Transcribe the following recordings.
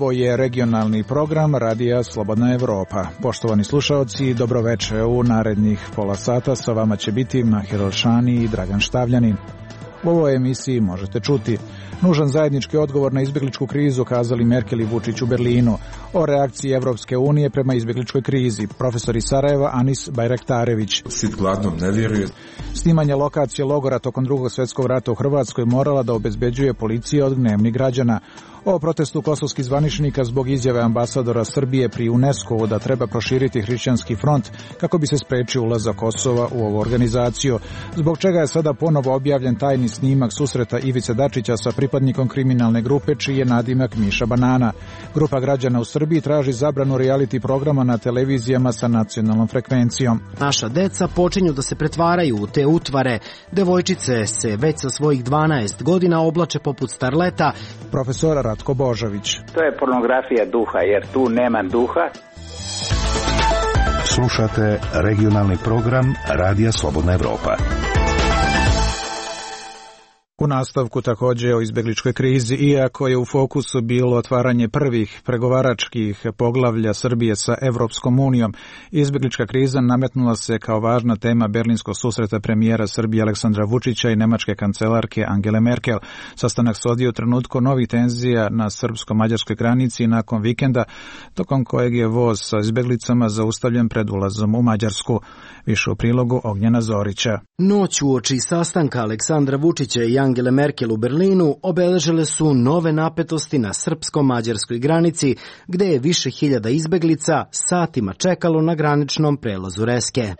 Ovo je regionalni program Radija Slobodna Evropa. Poštovani slušaoci, dobroveče. U narednih pola sata sa vama će biti Mahir Olšani i Dragan Štavljanin. U ovoj emisiji možete čuti nužan zajednički odgovor na izbjegličku krizu kazali Merkel i Vučić u Berlinu, o reakciji Evropske unije prema izbjegličkoj krizi, profesor iz Sarajeva Anis Bajraktarević. Sit gladnom ne vjeruje. Snimanje lokacije logora tokom Drugog svjetskog rata u Hrvatskoj morala da obezbeđuje policija od gnevnih građana. O protestu kosovskih zvaničnika zbog izjave ambasadora Srbije pri UNESCO-u da treba proširiti hrišćanski front kako bi se sprečio ulazak Kosova u ovu organizaciju. Zbog čega je sada ponovo objavljen tajni snimak susreta Ivice Dačića sa pripadnikom kriminalne grupe čiji je nadimak Miša Banana. Grupa građana u Srbiji traži zabranu reality programa na televizijama sa nacionalnom frekvencijom. Naša deca počinju da se pretvaraju u te utvare. Devojčice se već sa svojih 12 godina oblače poput starleta. Profesor Ratko Božović. To je pornografija duha, jer tu nema duha. Slušate regionalni program Radija Slobodna Evropa. U nastavku također o izbjegličkoj krizi, iako je u fokusu bilo otvaranje prvih pregovaračkih poglavlja Srbije sa Evropskom unijom, izbjeglička kriza nametnula se kao važna tema berlinskog susreta premijera Srbije Aleksandra Vučića i nemačke kancelarke Angele Merkel. Sastanak se odvio u trenutku novih tenzija na srpsko-mađarskoj granici nakon vikenda, tokom kojeg je voz sa izbjeglicama zaustavljen pred ulazom u Mađarsku. Više u prilogu Ognjena Zorića. Noć uoči sastanka Aleksandra Vučića i Angele Merkel u Berlinu obeležile su nove napetosti na srpsko-mađarskoj granici, gde je više hiljada izbeglica satima čekalo na graničnom prelazu Reske.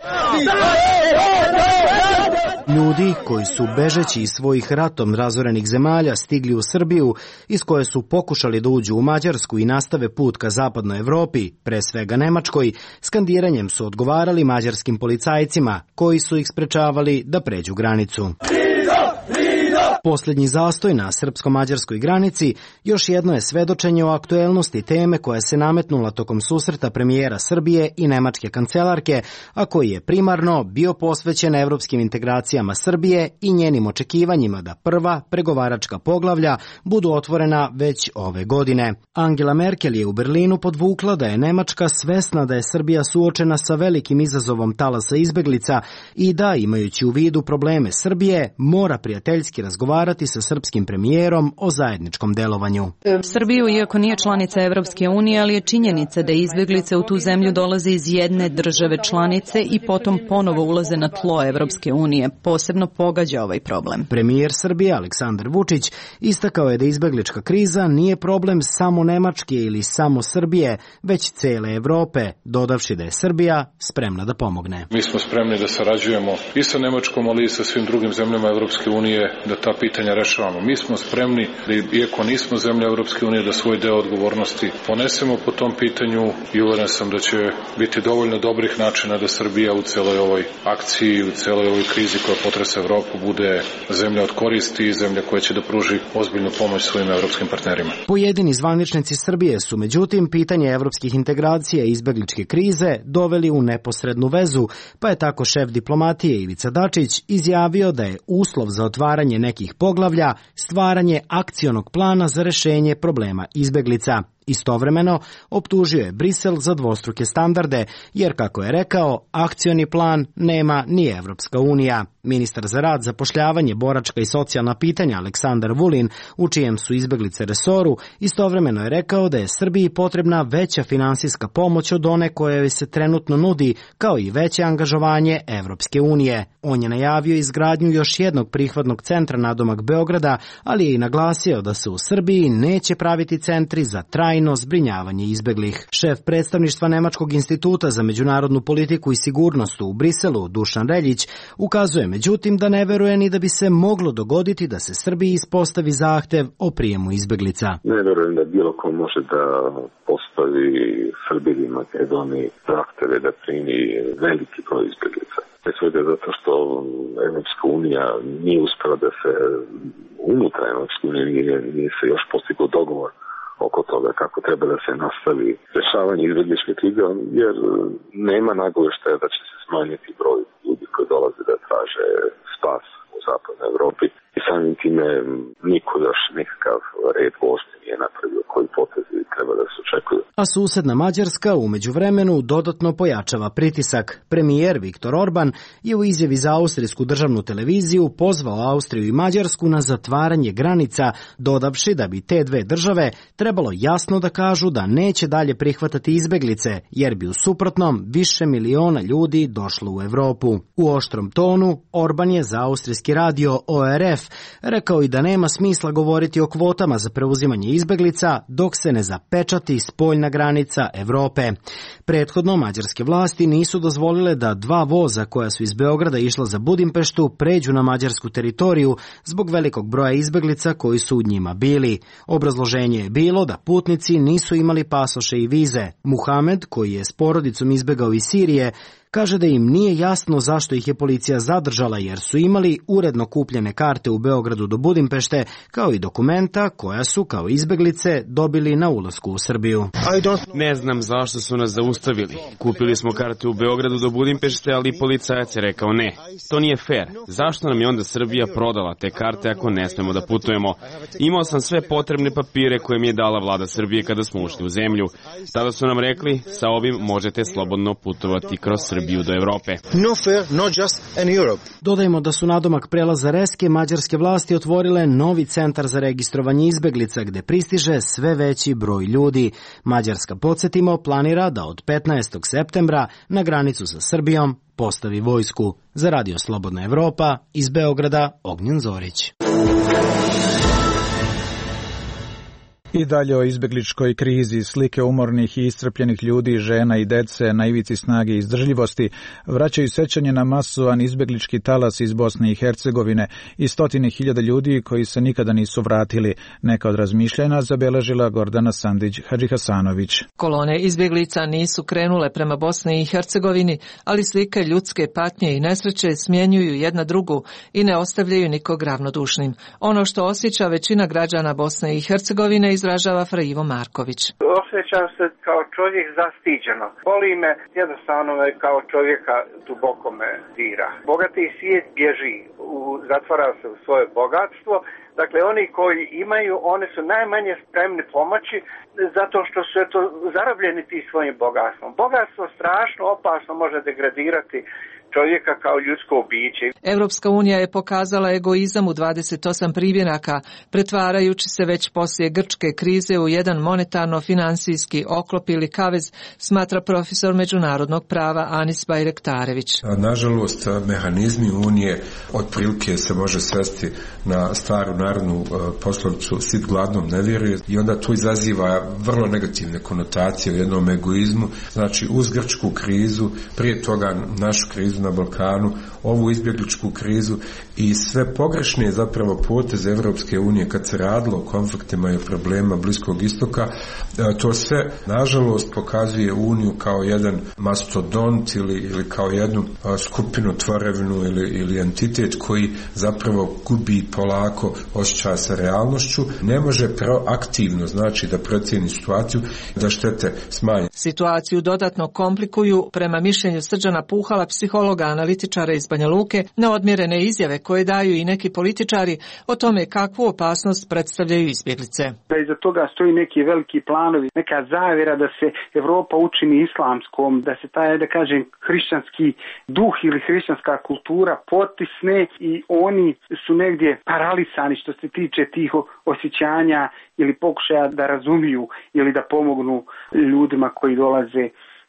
Ljudi koji su bežeći iz svojih ratom razorenih zemalja stigli u Srbiju, iz koje su pokušali da uđu u Mađarsku i nastave put ka zapadnoj Evropi, pre svega Nemačkoj, skandiranjem su odgovarali mađarskim policajcima koji su ih sprečavali da pređu granicu. Posljednji zastoj na srpsko-mađarskoj granici još jedno je svedočenje o aktuelnosti teme koja se nametnula tokom susreta premijera Srbije i nemačke kancelarke, a koji je primarno bio posvećen evropskim integracijama Srbije i njenim očekivanjima da prva pregovaračka poglavlja budu otvorena već ove godine. Angela Merkel je u Berlinu podvukla da je Nemačka svesna da je Srbija suočena sa velikim izazovom talasa izbeglica i da, imajući u vidu probleme Srbije, mora prijateljski razgovarati sa srpskim premijerom o zajedničkom delovanju. Srbiju, iako nije članica Evropske unije, ali je činjenica da izbjeglice u tu zemlju dolaze iz jedne države članice i potom ponovo ulaze na tlo Evropske unije. Posebno pogađa ovaj problem. Premijer Srbije Aleksandar Vučić istakao je da izbjeglička kriza nije problem samo Nemačke ili samo Srbije, već cele Evrope, dodavši da je Srbija spremna da pomogne. Mi smo spremni da sarađujemo i sa Nemačkom, ali i sa svim drugim zemljama Evropske unije, da ta pitanja rešavamo. Mi smo spremni da, iako nismo zemlja Evropske unije, da svoj deo odgovornosti ponesemo po tom pitanju i uveren sam da će biti dovoljno dobrih načina da Srbija u celoj ovoj akciji, u celoj ovoj krizi koja potresa Evropu bude zemlja od koristi i zemlja koja će da pruži ozbiljnu pomoć svojim evropskim partnerima. Pojedini zvaničnici Srbije su međutim pitanje evropskih integracija i izbegličke krize doveli u neposrednu vezu, pa je tako šef diplomatije Ivica Dačić izjavio da je uslov za otvaranje nekih poglavlja stvaranje akcionog plana za rešenje problema izbeglica. Istovremeno, optužio je Brisel za dvostruke standarde, jer, kako je rekao, akcioni plan nema ni Evropska unija. Ministar za rad, zapošljavanje, boračka i socijalna pitanja Aleksandar Vulin, u čijem su izbeglice resoru, istovremeno je rekao da je Srbiji potrebna veća finansijska pomoć od one koje se trenutno nudi, kao i veće angažovanje Evropske unije. On je najavio izgradnju još jednog prihvatnog centra nadomak Beograda, ali je i naglasio da se u Srbiji neće praviti centri za trajno zbrinjavanje izbeglih. Šef predstavništva Nemačkog instituta za međunarodnu politiku i sigurnost u Briselu, Dušan Reljić, ukazuje međutim da ne veruje ni da bi se moglo dogoditi da se Srbiji ispostavi zahtev o prijemu izbeglica. Ne verujem da bilo ko može da postavi Srbiji i Makedoniji zahteve da primi veliki broj izbeglica. Pre svega zato što Evropska unija nije uspela da se unutar Evropske unije nije se još postigao dogovor oko toga kako treba da se nastavi rešavanje izbegličke krize, jer nema nagoveštaja da će se smanjiti broj ljudi koji dolaze da traže spas u zapadnoj Evropi. I samim time niko još nekakav red vožnje nije napravio koji potezi treba da se očekuju. A susedna Mađarska u međuvremenu dodatno pojačava pritisak. Premijer Viktor Orban je u izjavi za austrijsku državnu televiziju pozvao Austriju i Mađarsku na zatvaranje granica, dodavši da bi te dve države trebalo jasno da kažu da neće dalje prihvatati izbeglice, jer bi u suprotnom više miliona ljudi došlo u Evropu. U oštrom tonu Orban je za austrijski radio ORF rekao i da nema smisla govoriti o kvotama za preuzimanje izbeglica dok se ne zapečati spoljna granica Evrope. Prethodno mađarske vlasti nisu dozvolile da dva voza koja su iz Beograda išla za Budimpeštu pređu na mađarsku teritoriju zbog velikog broja izbeglica koji su u njima bili. Obrazloženje je bilo da putnici nisu imali pasoše i vize. Muhamed, koji je s porodicom izbegao iz Sirije, kaže da im nije jasno zašto ih je policija zadržala jer su imali uredno kupljene karte u Beogradu do Budimpešte kao i dokumenta koja su kao izbeglice dobili na ulasku u Srbiju. Ne znam zašto su nas zaustavili. Kupili smo karte u Beogradu do Budimpešte, ali policajac je rekao ne. To nije fair. Zašto nam je onda Srbija prodala te karte ako ne smemo da putujemo? Imao sam sve potrebne papire koje mi je dala vlada Srbije kada smo ušli u zemlju. Tada su nam rekli, sa ovim možete slobodno putovati kroz Srbiju do Evrope. Dodajmo da su nadomak prelaza Reske mađarske vlasti otvorile novi centar za registrovanje izbeglica gde pristiže sve veći broj ljudi. Mađarska, podsjetimo, planira da od 15. septembra na granicu sa Srbijom postavi vojsku. Za Radio Slobodna Evropa iz Beograda Ognjen Zorić. I dalje o izbegličkoj krizi, slike umornih i iscrpljenih ljudi, žena i dece na ivici snage i izdržljivosti vraćaju sećanje na masovan izbeglički talas iz Bosne i Hercegovine i stotine hiljada ljudi koji se nikada nisu vratili. Neka od razmišljanja zabeležila Gordana Sandić-Hadžihasanović. Kolone izbeglica nisu krenule prema Bosni i Hercegovini, ali slike ljudske patnje i nesreće smjenjuju jedna drugu i ne ostavljaju nikog ravnodušnim. Ono što osjeća većina građana Bosne i Hercegovine izražava Fra Ivo Marković. Osjećam se kao čovjek zastiđeno. Boli me, jednostavno me kao čovjeka duboko me dira. Bogati svijet bježi, zatvara se u svoje bogatstvo. Dakle, oni koji imaju, oni su najmanje spremni pomoći zato što su zarobljeni tim svojim bogatstvom. Bogatstvo strašno opasno može degradirati čovjeka kao ljudsko biće. Evropska unija je pokazala egoizam u 28 primjeraka, pretvarajući se već poslije grčke krize u jedan monetarno-finansijski oklop ili kavez, smatra profesor međunarodnog prava Anis Bajrektarević. Nažalost, mehanizmi unije otprilike se može svesti na staru narodnu poslovicu sit gladnom ne vjeruje i onda to izaziva vrlo negativne konotacije u jednom egoizmu. Znači, uz grčku krizu, prije toga našu krizu na Balkanu, ovu izbjegličku krizu i sve pogrešne zapravo poteze Evropske unije kad se radilo o konfliktima i problema Bliskog istoka, to sve nažalost pokazuje uniju kao jedan mastodont ili kao jednu skupinu, tvorevinu ili entitet koji zapravo gubi polako osjećaj sa realnošću, ne može proaktivno, znači da procijeni situaciju, da štete smanje. Situaciju dodatno komplikuju, prema mišljenju Srđana Puhala, psihologa analitičara iz Banja Luke, neodmjerene izjave koje daju i neki političari o tome kakvu opasnost predstavljaju izbjeglice. Da iza toga stoji neki veliki planovi, neka zavjera da se Evropa učini islamskom, da se taj, da kažem, hrišćanski duh ili hrišćanska kultura potisne i oni su negdje paralisani što se tiče tih osjećanja ili pokušaja da razumiju ili da pomognu ljudima koji dolaze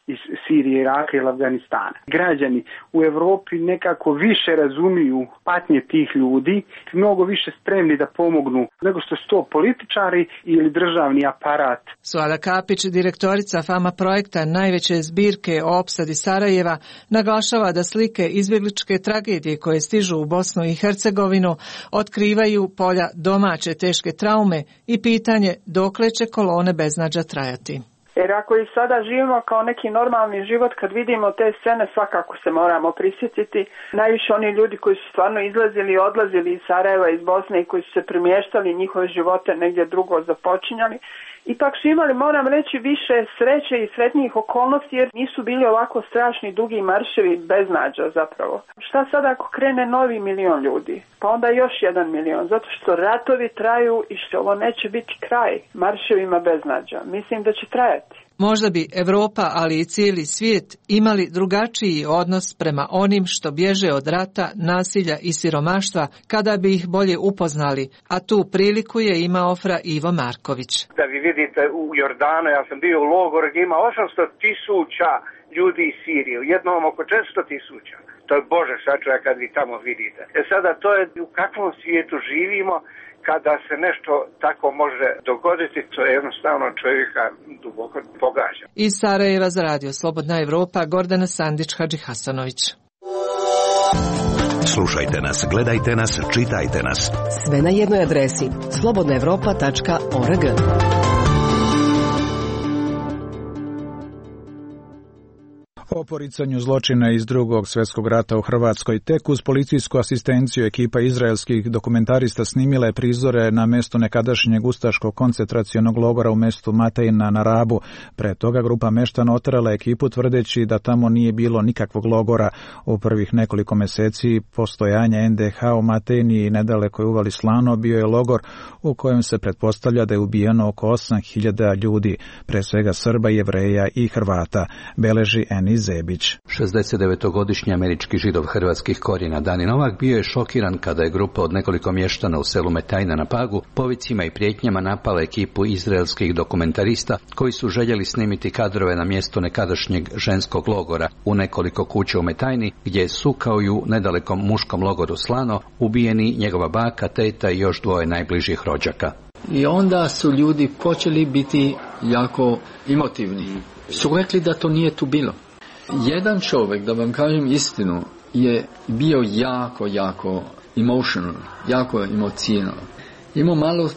iz Sirije, Iraka ili Afganistana. Građani u Evropi nekako više razumiju patnje tih ljudi, mnogo više spremni da pomognu nego što su to političari ili državni aparat. Suada Kapić, direktorica Fama projekta najveće zbirke o opsadi Sarajeva, naglašava da slike izbjegličke tragedije koje stižu u Bosnu i Hercegovinu otkrivaju polja domaće teške traume i pitanje dokle će kolone beznađa trajati. Jer ako i sada živimo kao neki normalni život, kad vidimo te scene, svakako se moramo prisjetiti. Najviše oni ljudi koji su stvarno izlazili i odlazili iz Sarajeva, iz Bosne i koji su se premještali, njihove živote negdje drugo započinjali. ipak su imali, moram reći, više sreće i sretnijih okolnosti jer nisu bili ovako strašni dugi marševi beznađa zapravo. Šta sad ako krene novi 1 milion ljudi? Pa onda još 1 milion, zato što ratovi traju i što ovo neće biti kraj marševima beznađa. Mislim da će trajati. Možda bi Evropa, ali i cijeli svijet imali drugačiji odnos prema onim što bježe od rata, nasilja i siromaštva kada bi ih bolje upoznali, a tu priliku je imao Fra Ivo Marković. Da vi vidite u Jordanu, ja sam bio u logoru gdje ima 800.000 ljudi iz Sirije, u jednom oko 400.000. To je Bože sačuvaj kad vi tamo vidite. Sada to je u kakvom svijetu živimo, kada se nešto tako može dogoditi, to je jednostavno čovjeka duboko pogađa. Iz Sarajeva za Radio Slobodna Evropa, Gordana Sandić-Hadžihasanović. Slušajte nas, gledajte nas, čitajte nas. Sve na jednoj adresi slobodnaevropa.org. O poricanju zločina iz Drugog svjetskog rata u Hrvatskoj tek uz policijsku asistenciju ekipa izraelskih dokumentarista snimila je prizore na mjestu nekadašnjeg ustaškog koncentracionog logora u mjestu Matejna na Rabu. Pre toga grupa meštana oterala ekipu tvrdeći da tamo nije bilo nikakvog logora. U prvih nekoliko mjeseci postojanja NDH u Matejni i nedalekoj uvali Slano bio je logor u kojem se pretpostavlja da je ubijeno oko 8.000 ljudi, pre svega Srba, Jevreja i Hrvata, beleži Eni Zebić. 69-godišnji američki Židov hrvatskih korijena Dani Novak bio je šokiran kada je grupa od nekoliko mještana u selu Metajna na Pagu povicima i prijetnjama napala ekipu izraelskih dokumentarista koji su željeli snimiti kadrove na mjestu nekadašnjeg ženskog logora u nekoliko kuća u Metajni gdje su kao i u nedalekom muškom logoru Slano ubijeni njegova baka, teta i još 2 najbližih rođaka. I onda su ljudi počeli biti jako emotivni. Su rekli da to nije tu bilo. Jedan čovjek, da vam kažem istinu, je bio jako emotional, jako emocionalan. Imao malo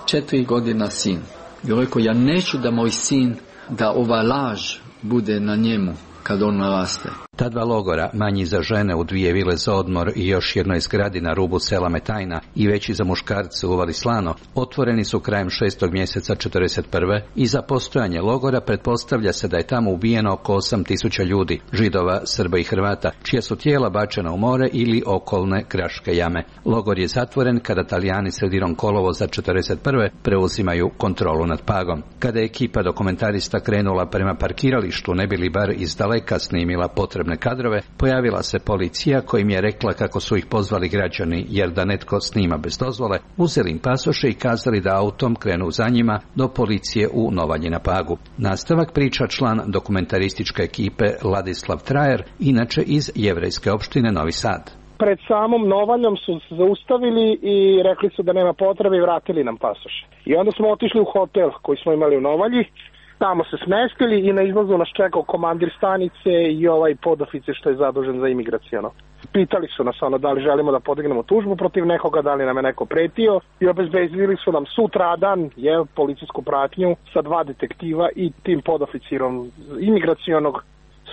4 godina sin. I rekao, ja neću da moj sin, da ova laž bude na njemu kad on naraste. Ta 2 logora, manji za žene u 2 vile za odmor i još jednoj zgradi na rubu sela Metajna i veći za muškarce u uvali Slano, otvoreni su krajem 6. mjeseca 1941. i za postojanje logora pretpostavlja se da je tamo ubijeno oko 8.000 ljudi, Židova, Srba i Hrvata, čija su tijela bačena u more ili okolne kraške jame. Logor je zatvoren kada Talijani sredinom kolovoza 1941. preuzimaju kontrolu nad Pagom. Kada je ekipa dokumentarista krenula prema parkiralištu, ne bi li bar iz daleka snimila potrebne kadrove, pojavila se policija koja im je rekla kako su ih pozvali građani jer da netko snima bez dozvole, uzeli im pasoše i kazali da autom krenu za njima do policije u Novalji na Pagu. Nastavak priča član dokumentarističke ekipe Ladislav Trajer, inače iz jevrejske opštine Novi Sad. Pred samom Novaljom su se zaustavili i rekli su da nema potrebe i vratili nam pasoše. I onda smo otišli u hotel koji smo imali u Novalji. Tamo se smestili i na izlazu nas čekao komandir stanice i ovaj podoficer što je zadužen za imigracijono. Pitali su nas da li želimo da podignemo tužbu protiv nekoga, da li nam je neko pretio i obezbedili su nam sutradan policijsku pratnju sa 2 detektiva i tim podoficirom imigracionog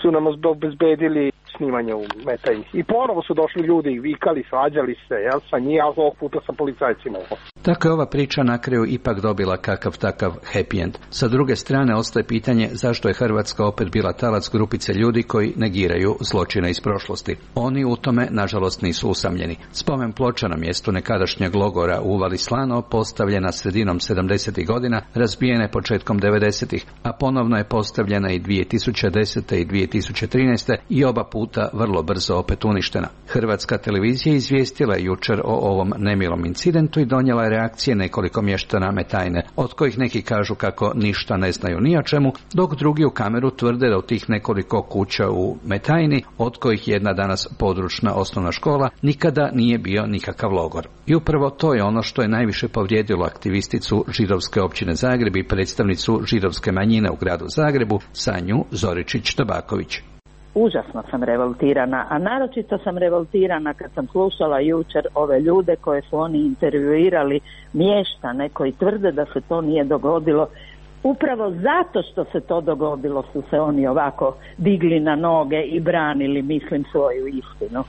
su nam obezbedili snimanje u Metajni. I ponovo su došli ljudi i vikali, svađali se, sa njih, a ovog puta sa policajcima. Tako je ova priča na kraju ipak dobila kakav takav happy end. Sa druge strane ostaje pitanje zašto je Hrvatska opet bila talac grupice ljudi koji negiraju zločine iz prošlosti. Oni u tome, nažalost, nisu usamljeni. Spomen ploča na mjestu nekadašnjeg logora u uvali Slano postavljena sredinom 70. godina, razbijene početkom 90. a ponovno je postavljena i 2010. i 2013. i oba puta vrlo brzo opet uništena. Hrvatska televizija izvijestila je jučer o ovom nemilom incidentu i donijela je reakcije nekoliko mještana Metajne, od kojih neki kažu kako ništa ne znaju ni o čemu, dok drugi u kameru tvrde da u tih nekoliko kuća u Metajni, od kojih jedna danas područna osnovna škola, nikada nije bio nikakav logor. I upravo to je ono što je najviše povrijedilo aktivisticu židovske općine Zagreb i predstavnicu židovske manjine u gradu Zagrebu, Sanju Zoričić-Tabaković. Užasno sam revoltirana, a naročito sam revoltirana kad sam slušala jučer ove ljude koje su oni intervjuirali, mještane koji tvrde da se to nije dogodilo. Upravo zato što se to dogodilo su se oni ovako digli na noge i branili, mislim, svoju istinu.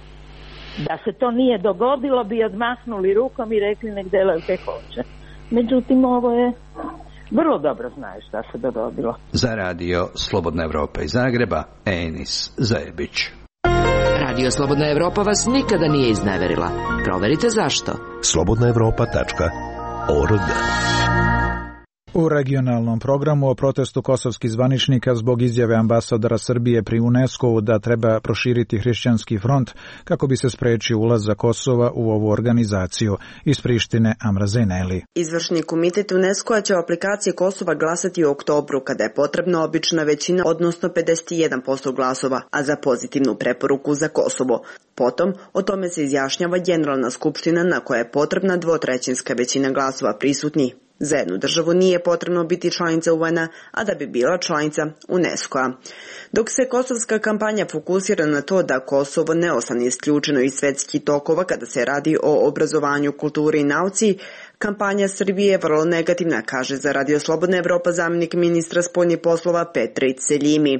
Da se to nije dogodilo bi odmahnuli rukom i rekli nek delaju kaj hoće. Međutim, ovo je vrlo dobro znaju šta se dogodilo. Za radio Slobodna Evropa iz Zagreba, Enis Zajebić. Radio Slobodna Evropa vas nikada nije izneverila. Proverite zašto. slobodnaevropa.org. U regionalnom programu o protestu kosovskih zvaničnika zbog izjave ambasadora Srbije pri UNESCO-u da treba proširiti hrišćanski front kako bi se sprečio ulazak Kosova u ovu organizaciju. Iz Prištine, Amra Zeneli. Izvršni komitet UNESCO-a će o aplikaciji Kosova glasati u oktobru, kada je potrebna obična većina, odnosno 51% glasova, a za pozitivnu preporuku za Kosovo. Potom, o tome se izjašnjava Generalna skupština na koja je potrebna dvotrećinska većina glasova prisutnih. Za jednu državu nije potrebno biti članica UN-a, a da bi bila članica UNESCO-a. Dok se kosovska kampanja fokusira na to da Kosovo ne ostane isključeno iz svetskih tokova kada se radi o obrazovanju, kulturi i nauci, kampanja Srbije je vrlo negativna, kaže za Radio Slobodna Evropa zamjenik ministra spoljnih poslova Petrić Seljimi.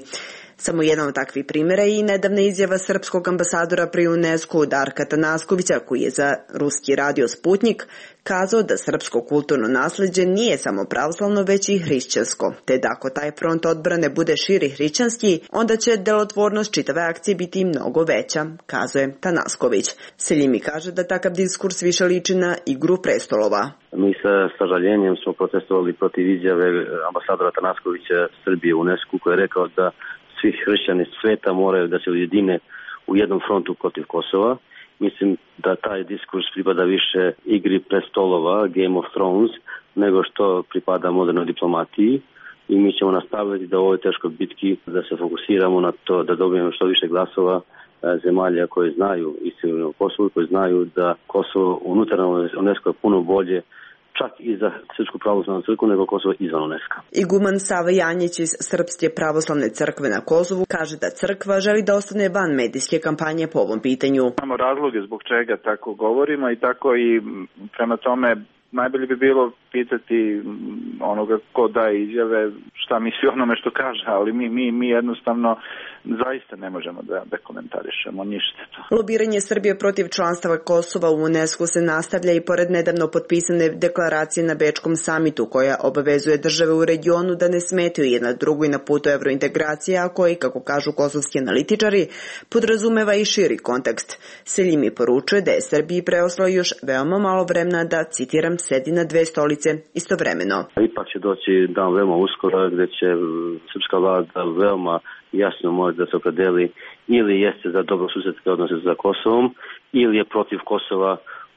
Samo jedan od takvih primjera je i nedavna izjava srpskog ambasadora pri UNESCO Darka Tanaskovića, koji je za ruski radio Sputnik kazao da srpsko kulturno nasleđe nije samo pravoslavno, već i hrišćansko, te da ako taj front odbrane bude širi hrišćanski, onda će delotvornost čitave akcije biti mnogo veća, kazuje Tanasković. Seljimi kaže da takav diskurs više liči na igru prestolova. Mi sa sažaljenjem smo protestovali protiv izjave ambasadora Tanaskovića Srbije u UNESCO, koji je rekao da svi hrišćani sveta moraju da se ujedine u jednom frontu protiv Kosova. Mislim da taj diskurs pripada više igri prestolova, Game of Thrones, nego što pripada modernoj diplomatiji. I mi ćemo nastaviti da u ovoj teškoj bitki da se fokusiramo na to da dobijemo što više glasova zemalja koje znaju istinu o Kosovu, koje znaju da Kosovo unutar UNESCO je puno bolje čak i za Srpsku pravoslavnu crkvu nego Kosovo izvan UNESCO. Iguman Sava Janjić iz Srpske pravoslavne crkve na Kosovu kaže da crkva želi da ostane van medijske kampanje po ovom pitanju. Imamo razloge zbog čega tako govorimo i tako i prema tome najbolje bi bilo pitati onoga ko daje izjave šta misli onome što kaže, ali mi jednostavno zaista ne možemo da komentarišemo ništa. Lobiranje Srbije protiv članstava Kosova u UNESCO se nastavlja i pored nedavno potpisane deklaracije na Bečkom samitu koja obavezuje države u regionu da ne smetaju jedna drugoj na putu evrointegracije, a koji, kako kažu kosovski analitičari, podrazumeva i širi kontekst. Seljimi poručuje da je Srbiji preostalo još veoma malo vremena da, citiram, sedi na dve stolice istovremeno. Ipak će doći dan veoma uskoro gde će srpska vlada veoma jasno može da se opredeli ili jeste za dobrosusedske odnose sa Kosovom ili je protiv Kosova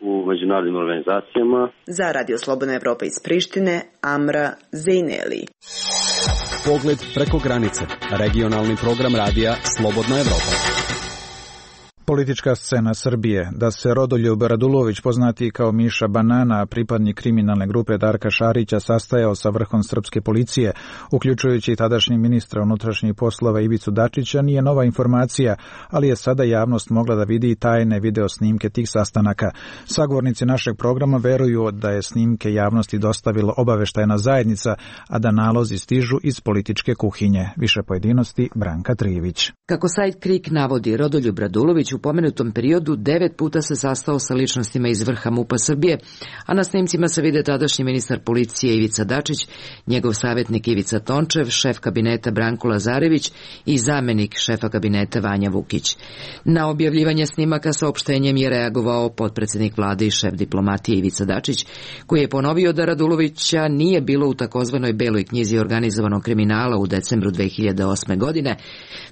u međunarodnim organizacijama. Za Radio Slobodna Evropa iz Prištine, Amra Zejneli. Pogled preko granice. Regionalni program radija Slobodna Evropa. Politička scena Srbije. Da se Rodoljub Radulović, poznati kao Miša Banana, pripadnik kriminalne grupe Darka Šarića, sastajao sa vrhom srpske policije, uključujući i tadašnji ministra unutrašnjih poslova Ivicu Dačića, nije nova informacija, ali je sada javnost mogla da vidi tajne video snimke tih sastanaka. Sagovornici našeg programa veruju da je snimke javnosti dostavila obaveštajna zajednica, a da nalozi stižu iz političke kuhinje. Više pojedinosti Branka Trijević. Kako sajt KRIK navodi, Rodoljub Radulović u pomenutom periodu 9 puta se sastao sa ličnostima iz vrha MUP-a Srbije, a na snimcima se vide tadašnji ministar policije Ivica Dačić, njegov savjetnik Ivica Tončev, šef kabineta Branko Lazarević i zamenik šefa kabineta Vanja Vukić. Na objavljivanje snimaka saopštenjem je reagovao potpredsednik vlade i šef diplomatije Ivica Dačić, koji je ponovio da Radulovića nije bilo u takozvanoj beloj knjizi organizovanog kriminala u decembru 2008. godine,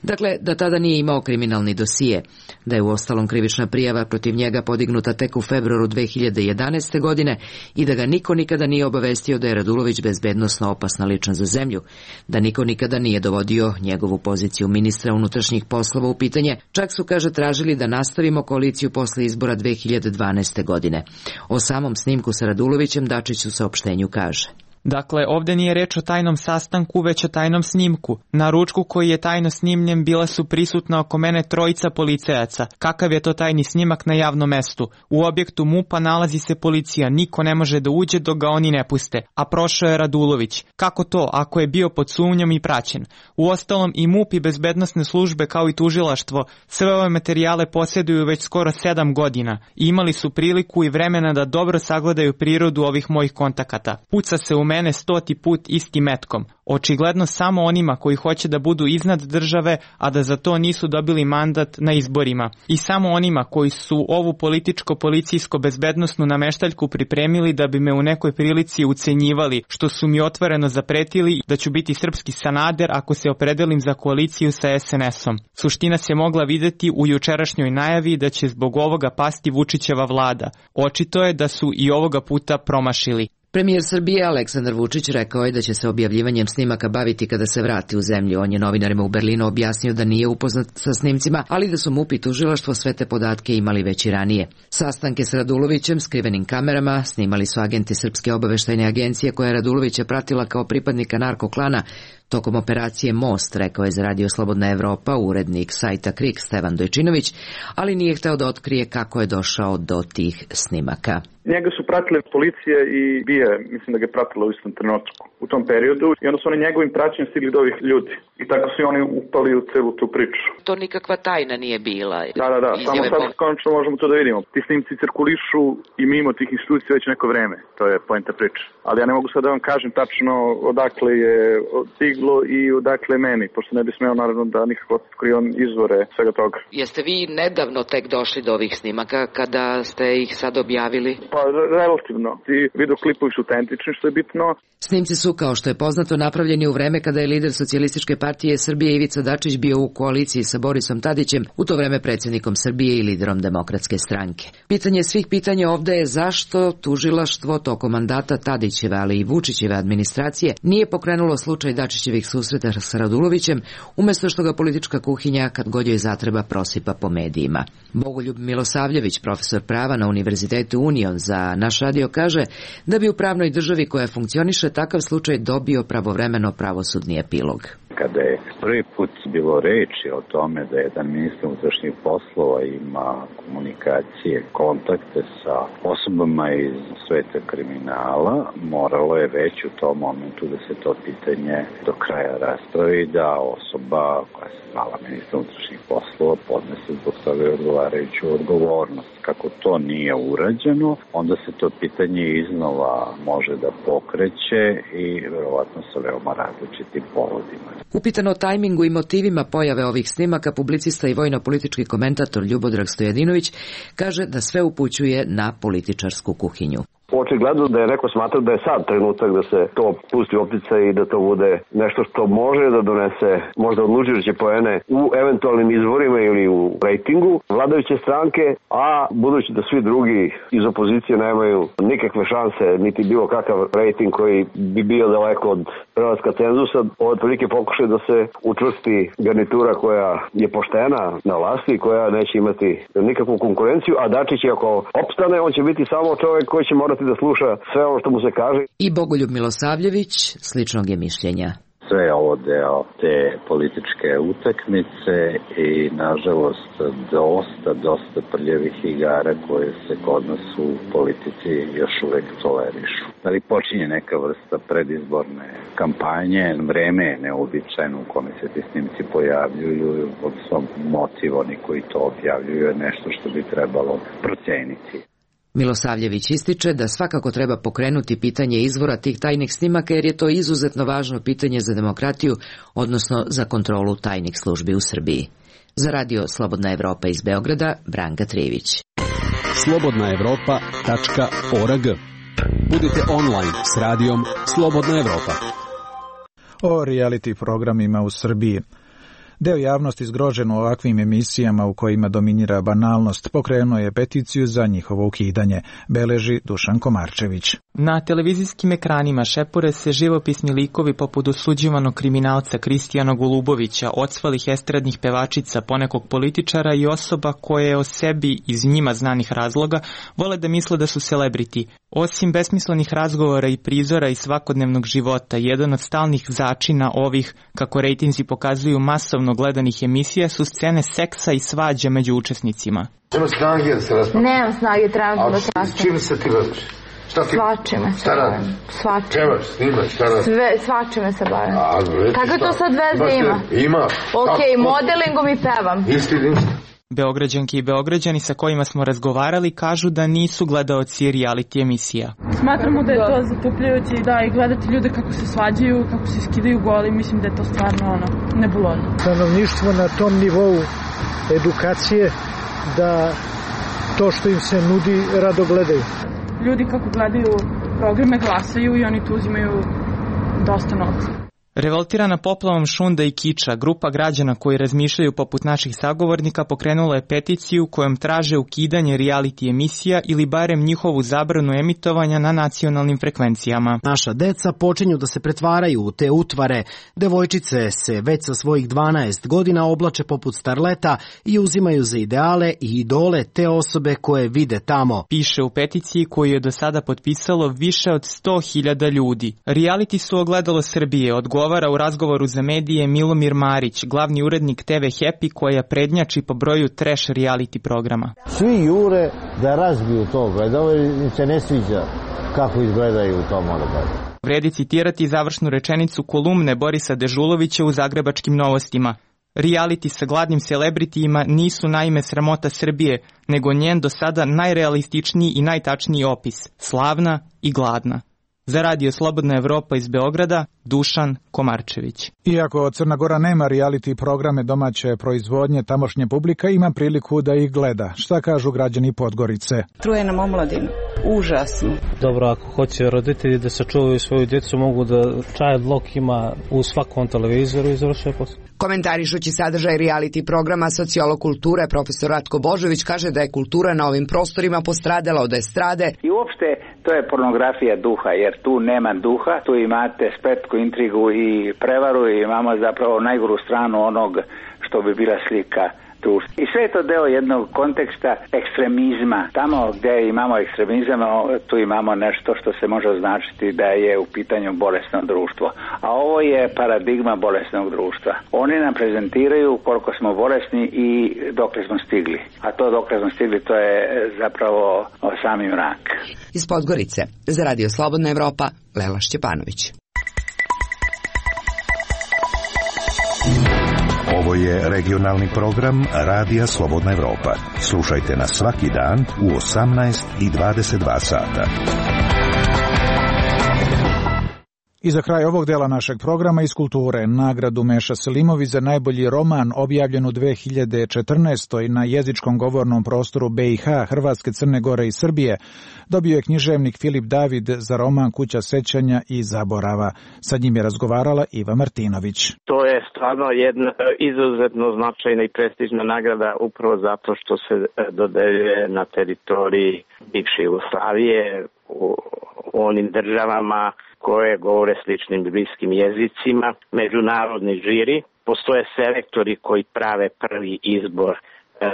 dakle da tada nije imao kriminalni dosije, da je uostalom krivična prijava protiv njega podignuta tek u februaru 2011. godine i da ga niko nikada nije obavestio da je Radulović bezbednosno opasna ličnost za zemlju, da niko nikada nije dovodio njegovu poziciju ministra unutrašnjih poslova u pitanje, čak su, kaže, tražili da nastavimo koaliciju posle izbora 2012. godine. O samom snimku sa Radulovićem Dačić u saopštenju kaže: Dakle, ovde nije reč o tajnom sastanku, već o tajnom snimku. Na ručku koji je tajno snimljen bila su prisutna oko mene 3 policajaca. Kakav je to tajni snimak na javnom mestu? U objektu MUP-a nalazi se policija, niko ne može da uđe dok ga oni ne puste. A prošao je Radulović. Kako to, ako je bio pod sumnjom i praćen? Uostalom i MUP i bezbednosne službe kao i tužilaštvo sve ove materijale posjeduju već skoro 7 godina i imali su priliku i vremena da dobro sagledaju prirodu ovih mojih kontakata. Puca se u mene mene 100. put istim metkom. Očigledno samo onima koji hoće da budu iznad države, a da za to nisu dobili mandat na izborima. I samo onima koji su ovu političko-policijsko-bezbednosnu nameštaljku pripremili da bi me u nekoj prilici ucenjivali, što su mi otvoreno zapretili da ću biti srpski Sanader ako se opredelim za koaliciju sa SNS-om. Suština se mogla videti u jučerašnjoj najavi da će zbog ovoga pasti Vučićeva vlada. Očito je da su i ovoga puta promašili. Premijer Srbije Aleksandar Vučić rekao je da će se objavljivanjem snimaka baviti kada se vrati u zemlju. On je novinarima u Berlinu objasnio da nije upoznat sa snimcima, ali da su MUP i tužilaštvo sve te podatke imali već i ranije. Sastanke s Radulovićem, skrivenim kamerama, snimali su agenti Srpske obaveštajne agencije koja je Radulovića pratila kao pripadnika narkoklana tokom operacije Most, rekao je za Radio Slobodna Evropa urednik sajta KRIK Stevan Dojčinović, ali nije hteo da otkrije kako je došao do tih snimaka. Njega su pratile policije i BIA, mislim da ga je pratila u istom trenutku u tom periodu i onda su oni njegovim praćenjem stigli do ovih ljudi. I tako su oni upali u celu tu priču. To nikakva tajna nije bila. Da, samo sad konačno možemo to da vidimo. Ti snimci cirkulišu i mimo tih institucija već neko vreme, to je poenta priče. Ali ja ne mogu sad da vam kažem tačno odakle je stiglo i odakle meni, pošto ne bi smeo naravno da nikako otkrivam izvore svega toga. Jeste vi nedavno tek došli do ovih snimaka kada ste ih sad objavili? Pa relativno. Ti videoklipovi su autentični, što je bitno. Snimci su, kao što je poznato, napravljeni u vreme kada je lider Socijalističke partije Srbije Ivica Dačić bio u koaliciji sa Borisom Tadićem, u to vreme predsjednikom Srbije i liderom Demokratske stranke. Pitanje svih pitanja ovde je zašto tužilaštvo tokom mandata Tadićeve, ali i Vučićeve administracije nije pokrenulo slučaj Dačićevih susreta sa Radulovićem, umesto što ga politička kuhinja kad god joj zatreba prosipa po medijima. Bogoljub Milosavljević, profesor prava na Univerzitetu Union, za naš radio kaže da bi u pravnoj državi koja funkcioniše takav slučaj dobio pravovremeno pravosudni epilog. Kada je prvi put bilo reči o tome da jedan ministar unutrašnjih poslova ima komunikacije, kontakte sa osobama iz sveta kriminala, moralo je već u tom momentu da se to pitanje do kraja raspravi, da osoba koja se zvala ministar unutrašnjih poslova podnese zbog toga odgovarajuću odgovornost. Kako to nije urađeno, onda se to pitanje iznova može da pokreće i verovatno sa veoma različitim povodima. Upitan o tajmingu i motivima pojave ovih snimaka, publicista i vojno-politički komentator Ljubodrag Stojadinović kaže da sve upućuje na političarsku kuhinju. Očigledno da je neko smatrao da je sad trenutak da se to pusti u opticaj i da to bude nešto što može da donese možda odlučujuće poene u eventualnim izborima ili u rejtingu vladajuće stranke, a budući da svi drugi iz opozicije nemaju nikakve šanse, niti bilo kakav rejting koji bi bio daleko od prelaska cenzusa, ovo je prilike pokušaj da se učvrsti garnitura koja je poštena na vlasti i koja neće imati nikakvu konkurenciju, a Dačić ako opstane, on će biti samo čovjek koji će morati da sluša sve ono što mu se kaže. I Bogoljub Milosavljević sličnog je mišljenja. Sve je ovo deo te političke utakmice i nažalost dosta prljavih igara koje se kod nas u politici još uvek tolerišu. Ali počinje neka vrsta predizborne kampanje, vreme je neobičajno u kome se ti snimci pojavljuju, od svom motiv oni koji to objavljuju je nešto što bi trebalo proceniti. Milosavljević ističe da svakako treba pokrenuti pitanje izvora tih tajnih snimaka jer je to izuzetno važno pitanje za demokratiju, odnosno za kontrolu tajnih službi u Srbiji. Za Radio Slobodna Evropa iz Beograda, Branka Trijević. slobodnaevropa.org. Budite online s radijom Slobodna Evropa. O reality programima u Srbiji. Deo javnosti zgrožen u ovakvim emisijama u kojima dominira banalnost pokrenuo je peticiju za njihovo ukidanje, beleži Dušan Komarčević. Na televizijskim ekranima šepure se živopisni likovi poput osuđivanog kriminalca Kristijana Golubovića, ocvalih estradnih pevačica, ponekog političara i osoba koje o sebi iz njima znanih razloga vole da misle da su celebrity. Osim besmislenih razgovora i prizora iz svakodnevnog života, jedan od stalnih začina ovih, kako rejtinzi pokazuju, masovno gledanih emisija su scene seksa i svađa među učesnicima. Nema snage da se raspravlja. Nemam snage, trebam da se raspravlja. Čime se ti baviš? Svačime se bavim. Čemaš, snimaš, šta radiš? Svačime se bavim. Kako to sad veze ima? Ima. Ok, modelingom i pevam. Isti. Beograđanke i Beograđani sa kojima smo razgovarali kažu da nisu gledaoci reality emisija. Smatramo da je to zatupljujuće i gledati ljude kako se svađaju, kako se skidaju goli, mislim da je to stvarno nebulozno. Stanovništvo na tom nivou edukacije da to što im se nudi rado gledaju. Ljudi kako gledaju programe glasaju i oni tu uzimaju dosta novca. Revoltirana poplavom šunda i kiča, grupa građana koji razmišljaju poput naših sagovornika pokrenula je peticiju kojom traže ukidanje reality emisija ili barem njihovu zabranu emitovanja na nacionalnim frekvencijama. Naša deca počinju da se pretvaraju u te utvare. Devojčice se već sa svojih 12 godina oblače poput starleta i uzimaju za ideale i idole te osobe koje vide tamo. Piše u peticiji koju je do sada potpisalo više od 100.000 ljudi. Reality su ogledalo Srbije, odgovara u razgovoru za medije Milomir Marić, glavni urednik TV Happy koja prednjači po broju trash reality programa. Svi jure da razbiju to, gledao im se ne sviđa kako izgledaju u tom odgledu. Vredi citirati završnu rečenicu kolumne Borisa Dežulovića u Zagrebačkim novostima. Reality sa gladnim celebritijima nisu naime sramota Srbije, nego njen do sada najrealističniji i najtačniji opis. Slavna i gladna. Za Radio Slobodna Evropa iz Beograda, Dušan Komarčević. Iako Crna Gora nema reality programe domaće proizvodnje, tamošnja publika ima priliku da ih gleda. Šta kažu građani Podgorice? Truje nam omladinu. Užasno. Dobro, ako hoće roditelji da sačuvaju svoju djecu, mogu da child lock ima u svakom televizoru i završuje posao. Komentarišući sadržaj reality programa, sociolog kulture profesor Ratko Božović kaže da je kultura na ovim prostorima postradala od estrade. I uopšte to je pornografija duha, jer tu nema duha, tu imate spletku, intrigu i prevaru i imamo zapravo najgoru stranu onog što bi bila slika društva. I sve je to deo jednog konteksta ekstremizma. Tamo gdje imamo ekstremizam, tu imamo nešto što se može označiti da je u pitanju bolesno društvo. A ovo je paradigma bolesnog društva. Oni nam prezentiraju koliko smo bolesni i dokle smo stigli. A to dokle smo stigli, to je zapravo sami mrak. Iz Podgorice, za Radio Slobodna Evropa, Lela Šćepanović. Ovo je regionalni program Radija Slobodna Evropa. Slušajte nas svaki dan u 18 i 22 sata. I za kraj ovog dela našeg programa iz kulture, nagradu Meša Selimović za najbolji roman objavljen u 2014. na jezičkom govornom prostoru BiH, Hrvatske, Crne Gore i Srbije, dobio je književnik Filip David za roman Kuća sećanja i zaborava. Sa njim je razgovarala Iva Martinović. To je stvarno jedna izuzetno značajna i prestižna nagrada upravo zato što se dodeljuje na teritoriji bivše Jugoslavije, u onim državama koje govore sličnim bliskim jezicima. Međunarodni žiri, postoje selektori koji prave prvi izbor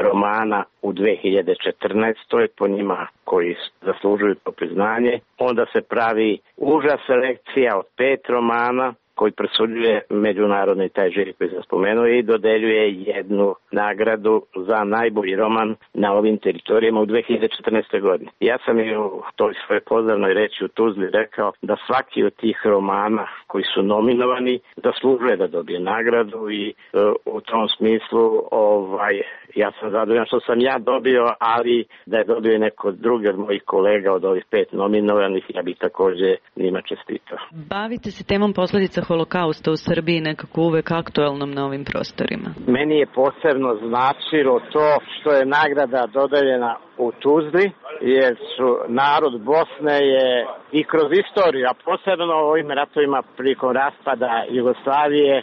romana u 2014. po njima koji zaslužuju to priznanje. Onda se pravi uža selekcija od 5 romana koji presuđuje međunarodni taj žiri koji se spomenuo i dodeljuje jednu nagradu za najbolji roman na ovim teritorijama u 2014. godini. Ja sam i u toj svojoj pozdravnoj reči u Tuzli rekao da svaki od tih romana koji su nominovani zaslužuje da dobije nagradu i u tom smislu ja sam zadovoljan što sam ja dobio, ali da je dobio neko drugi od mojih kolega od ovih 5 nominovanih, ja bih također njima čestitao. Bavite se temom posljedica holokausta u Srbiji nekako uvek aktualnom na ovim prostorima. Meni je posebno značilo to što je nagrada dodeljena u Tuzli, jer su narod Bosne je i kroz istoriju, a posebno u ovim ratovima prilikom raspada Jugoslavije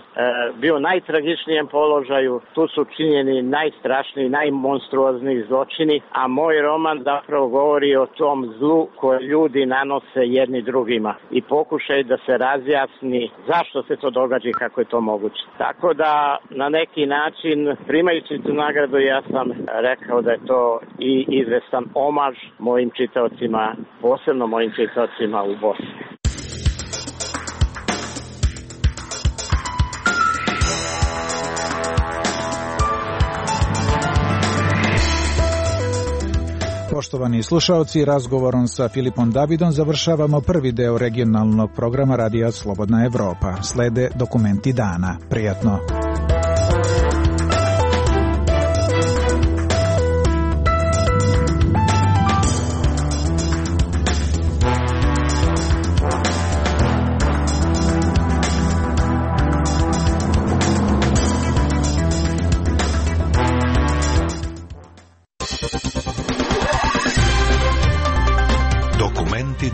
bio u najtragičnijem položaju. Tu su činjeni najstrašniji, najmonstruozniji zločini, a moj roman zapravo govori o tom zlu koje ljudi nanose jedni drugima i pokušaj da se razjasni zašto se to događa i kako je to moguće. Tako da na neki način, primajući tu nagradu, ja sam rekao da je to i izvestan omaž mojim čitaocima, posebno mojim čitaocima u Bosni. Poštovani slušaoci, razgovorom sa Filipom Davidom završavamo prvi deo regionalnog programa Radija Slobodna Evropa. Slede dokumenti dana. Prijatno!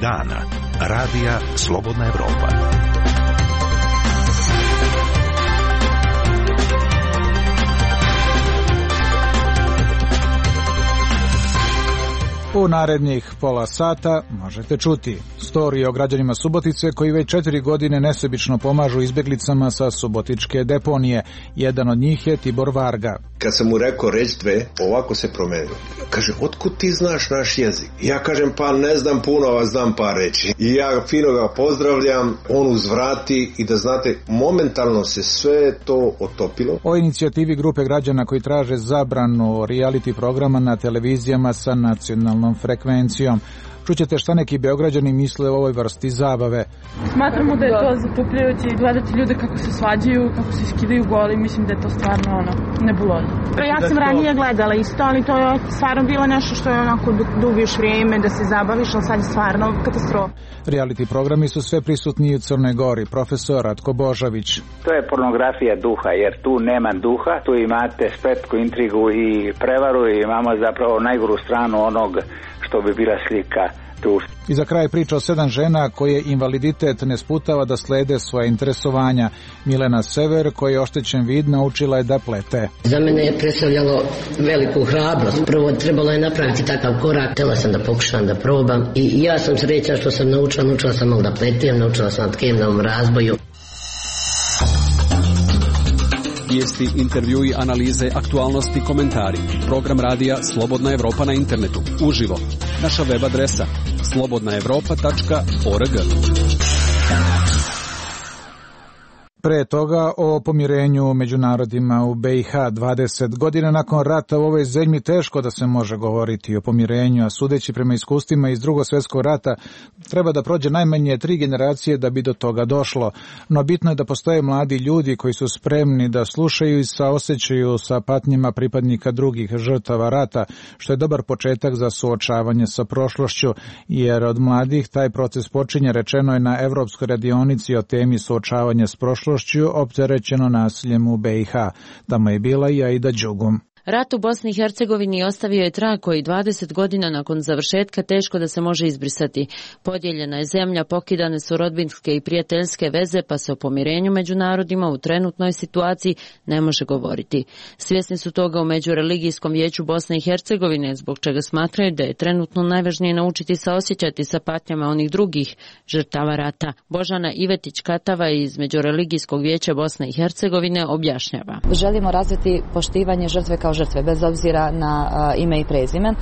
dana. Radija Slobodna Evropa. U narednih pola sata možete čuti storije o građanima Subotice koji već 4 godine nesebično pomažu izbjeglicama sa subotičke deponije. Jedan od njih je Tibor Varga. Kad sam mu rekao reći dve, ovako se promenilo. Kaže, otkud ti znaš naš jezik? Ja kažem, pa ne znam puno, a znam par reći. I ja fino ga pozdravljam, on uzvrati i da znate, momentalno se sve to otopilo. O inicijativi grupe građana koji traže zabranu reality programa na televizijama sa nacionalnom frekvencijom. Čućete šta neki Beograđani misle o ovoj vrsti zabave. Smatramo da je to zatupljujuće i gledati ljude kako se svađaju, kako se skidaju goli, mislim da je to stvarno nebulozno. Ja sam ranije gledala isto, ali to je stvarno bilo nešto što je onako dubiš vrijeme da se zabaviš, ali sad je stvarno katastrofa. Reality programi su sve prisutni u Crnoj Gori. Profesor Ratko Božović. To je pornografija duha, jer tu nema duha, tu imate spletku, intrigu i prevaru i imamo zapravo najgoru stranu onog što bi bila slika društva. I za kraj priča o 7 žena koje invaliditet ne sputava da slede svoje interesovanja. Milena Sever, koji je oštećen vid, naučila je da plete. Za mene je predstavljalo veliku hrabrost. Prvo trebalo je napraviti takav korak. Htjela sam da pokušam da probam i ja sam sreća što sam naučila sam malo da pletem, naučila sam na tkemnom razboju. Vijesti, intervjui, analize, aktualnosti, komentari. Program radija Slobodna Evropa na internetu. Uživo. Naša web adresa slobodnaevropa.org. Pre toga o pomirenju među narodima u BiH. 20 godina nakon rata u ovoj zemlji teško da se može govoriti o pomirenju, a sudeći prema iskustvima iz Drugog svjetskog rata treba da prođe najmanje 3 generacije da bi do toga došlo. No bitno je da postoje mladi ljudi koji su spremni da slušaju i saosećaju sa patnjima pripadnika drugih žrtava rata, što je dobar početak za suočavanje sa prošlošću, jer od mladih taj proces počinje, rečeno je na Evropskoj radionici o temi suočavanja s prošlošću opterećeno nasiljem u BiH. Tamo je bila i Aida Đugum. Rat u Bosni i Hercegovini ostavio je trag koji 20 godina nakon završetka teško da se može izbrisati. Podijeljena je zemlja, pokidane su rodbinske i prijateljske veze, pa se o pomirenju među narodima u trenutnoj situaciji ne može govoriti. Svjesni su toga u Međureligijskom vijeću Bosne i Hercegovine, zbog čega smatraju da je trenutno najvažnije naučiti saosjećati sa patnjama onih drugih žrtava rata. Božana Ivetić-Katava iz Međureligijskog vijeća Bosne i Hercegovine objašnjava. Želimo razviti poštivanje žrtve kao žrtve, bez obzira na ime i prezime.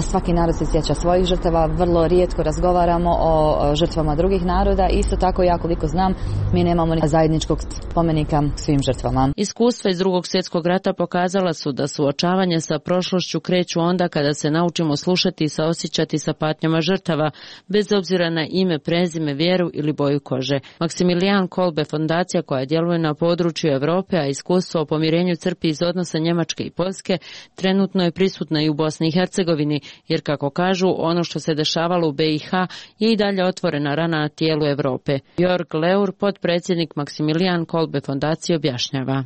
Svaki narod se sjeća svojih žrtava, vrlo rijetko razgovaramo o žrtvama drugih naroda. Isto tako, ja koliko znam, mi nemamo zajedničkog spomenika svim žrtvama. Iskustva iz Drugog svjetskog rata pokazala su da suočavanje sa prošlošću kreću onda kada se naučimo slušati i saosjećati sa patnjama žrtava, bez obzira na ime, prezime, vjeru ili boju kože. Maksimilijan Kolbe, fondacija koja djeluje na području Europe, a iskustvo o pomirenju crpi iz odnosa Njemačke i Poljske, trenutno je prisutna i u Bosni i Hercegovini, jer kako kažu, ono što se dešavalo u BiH je i dalje otvorena rana na tijelu Europe. Jörg Leur, potpredsjednik Maksimilijan Kolbe fondacije, objašnjava.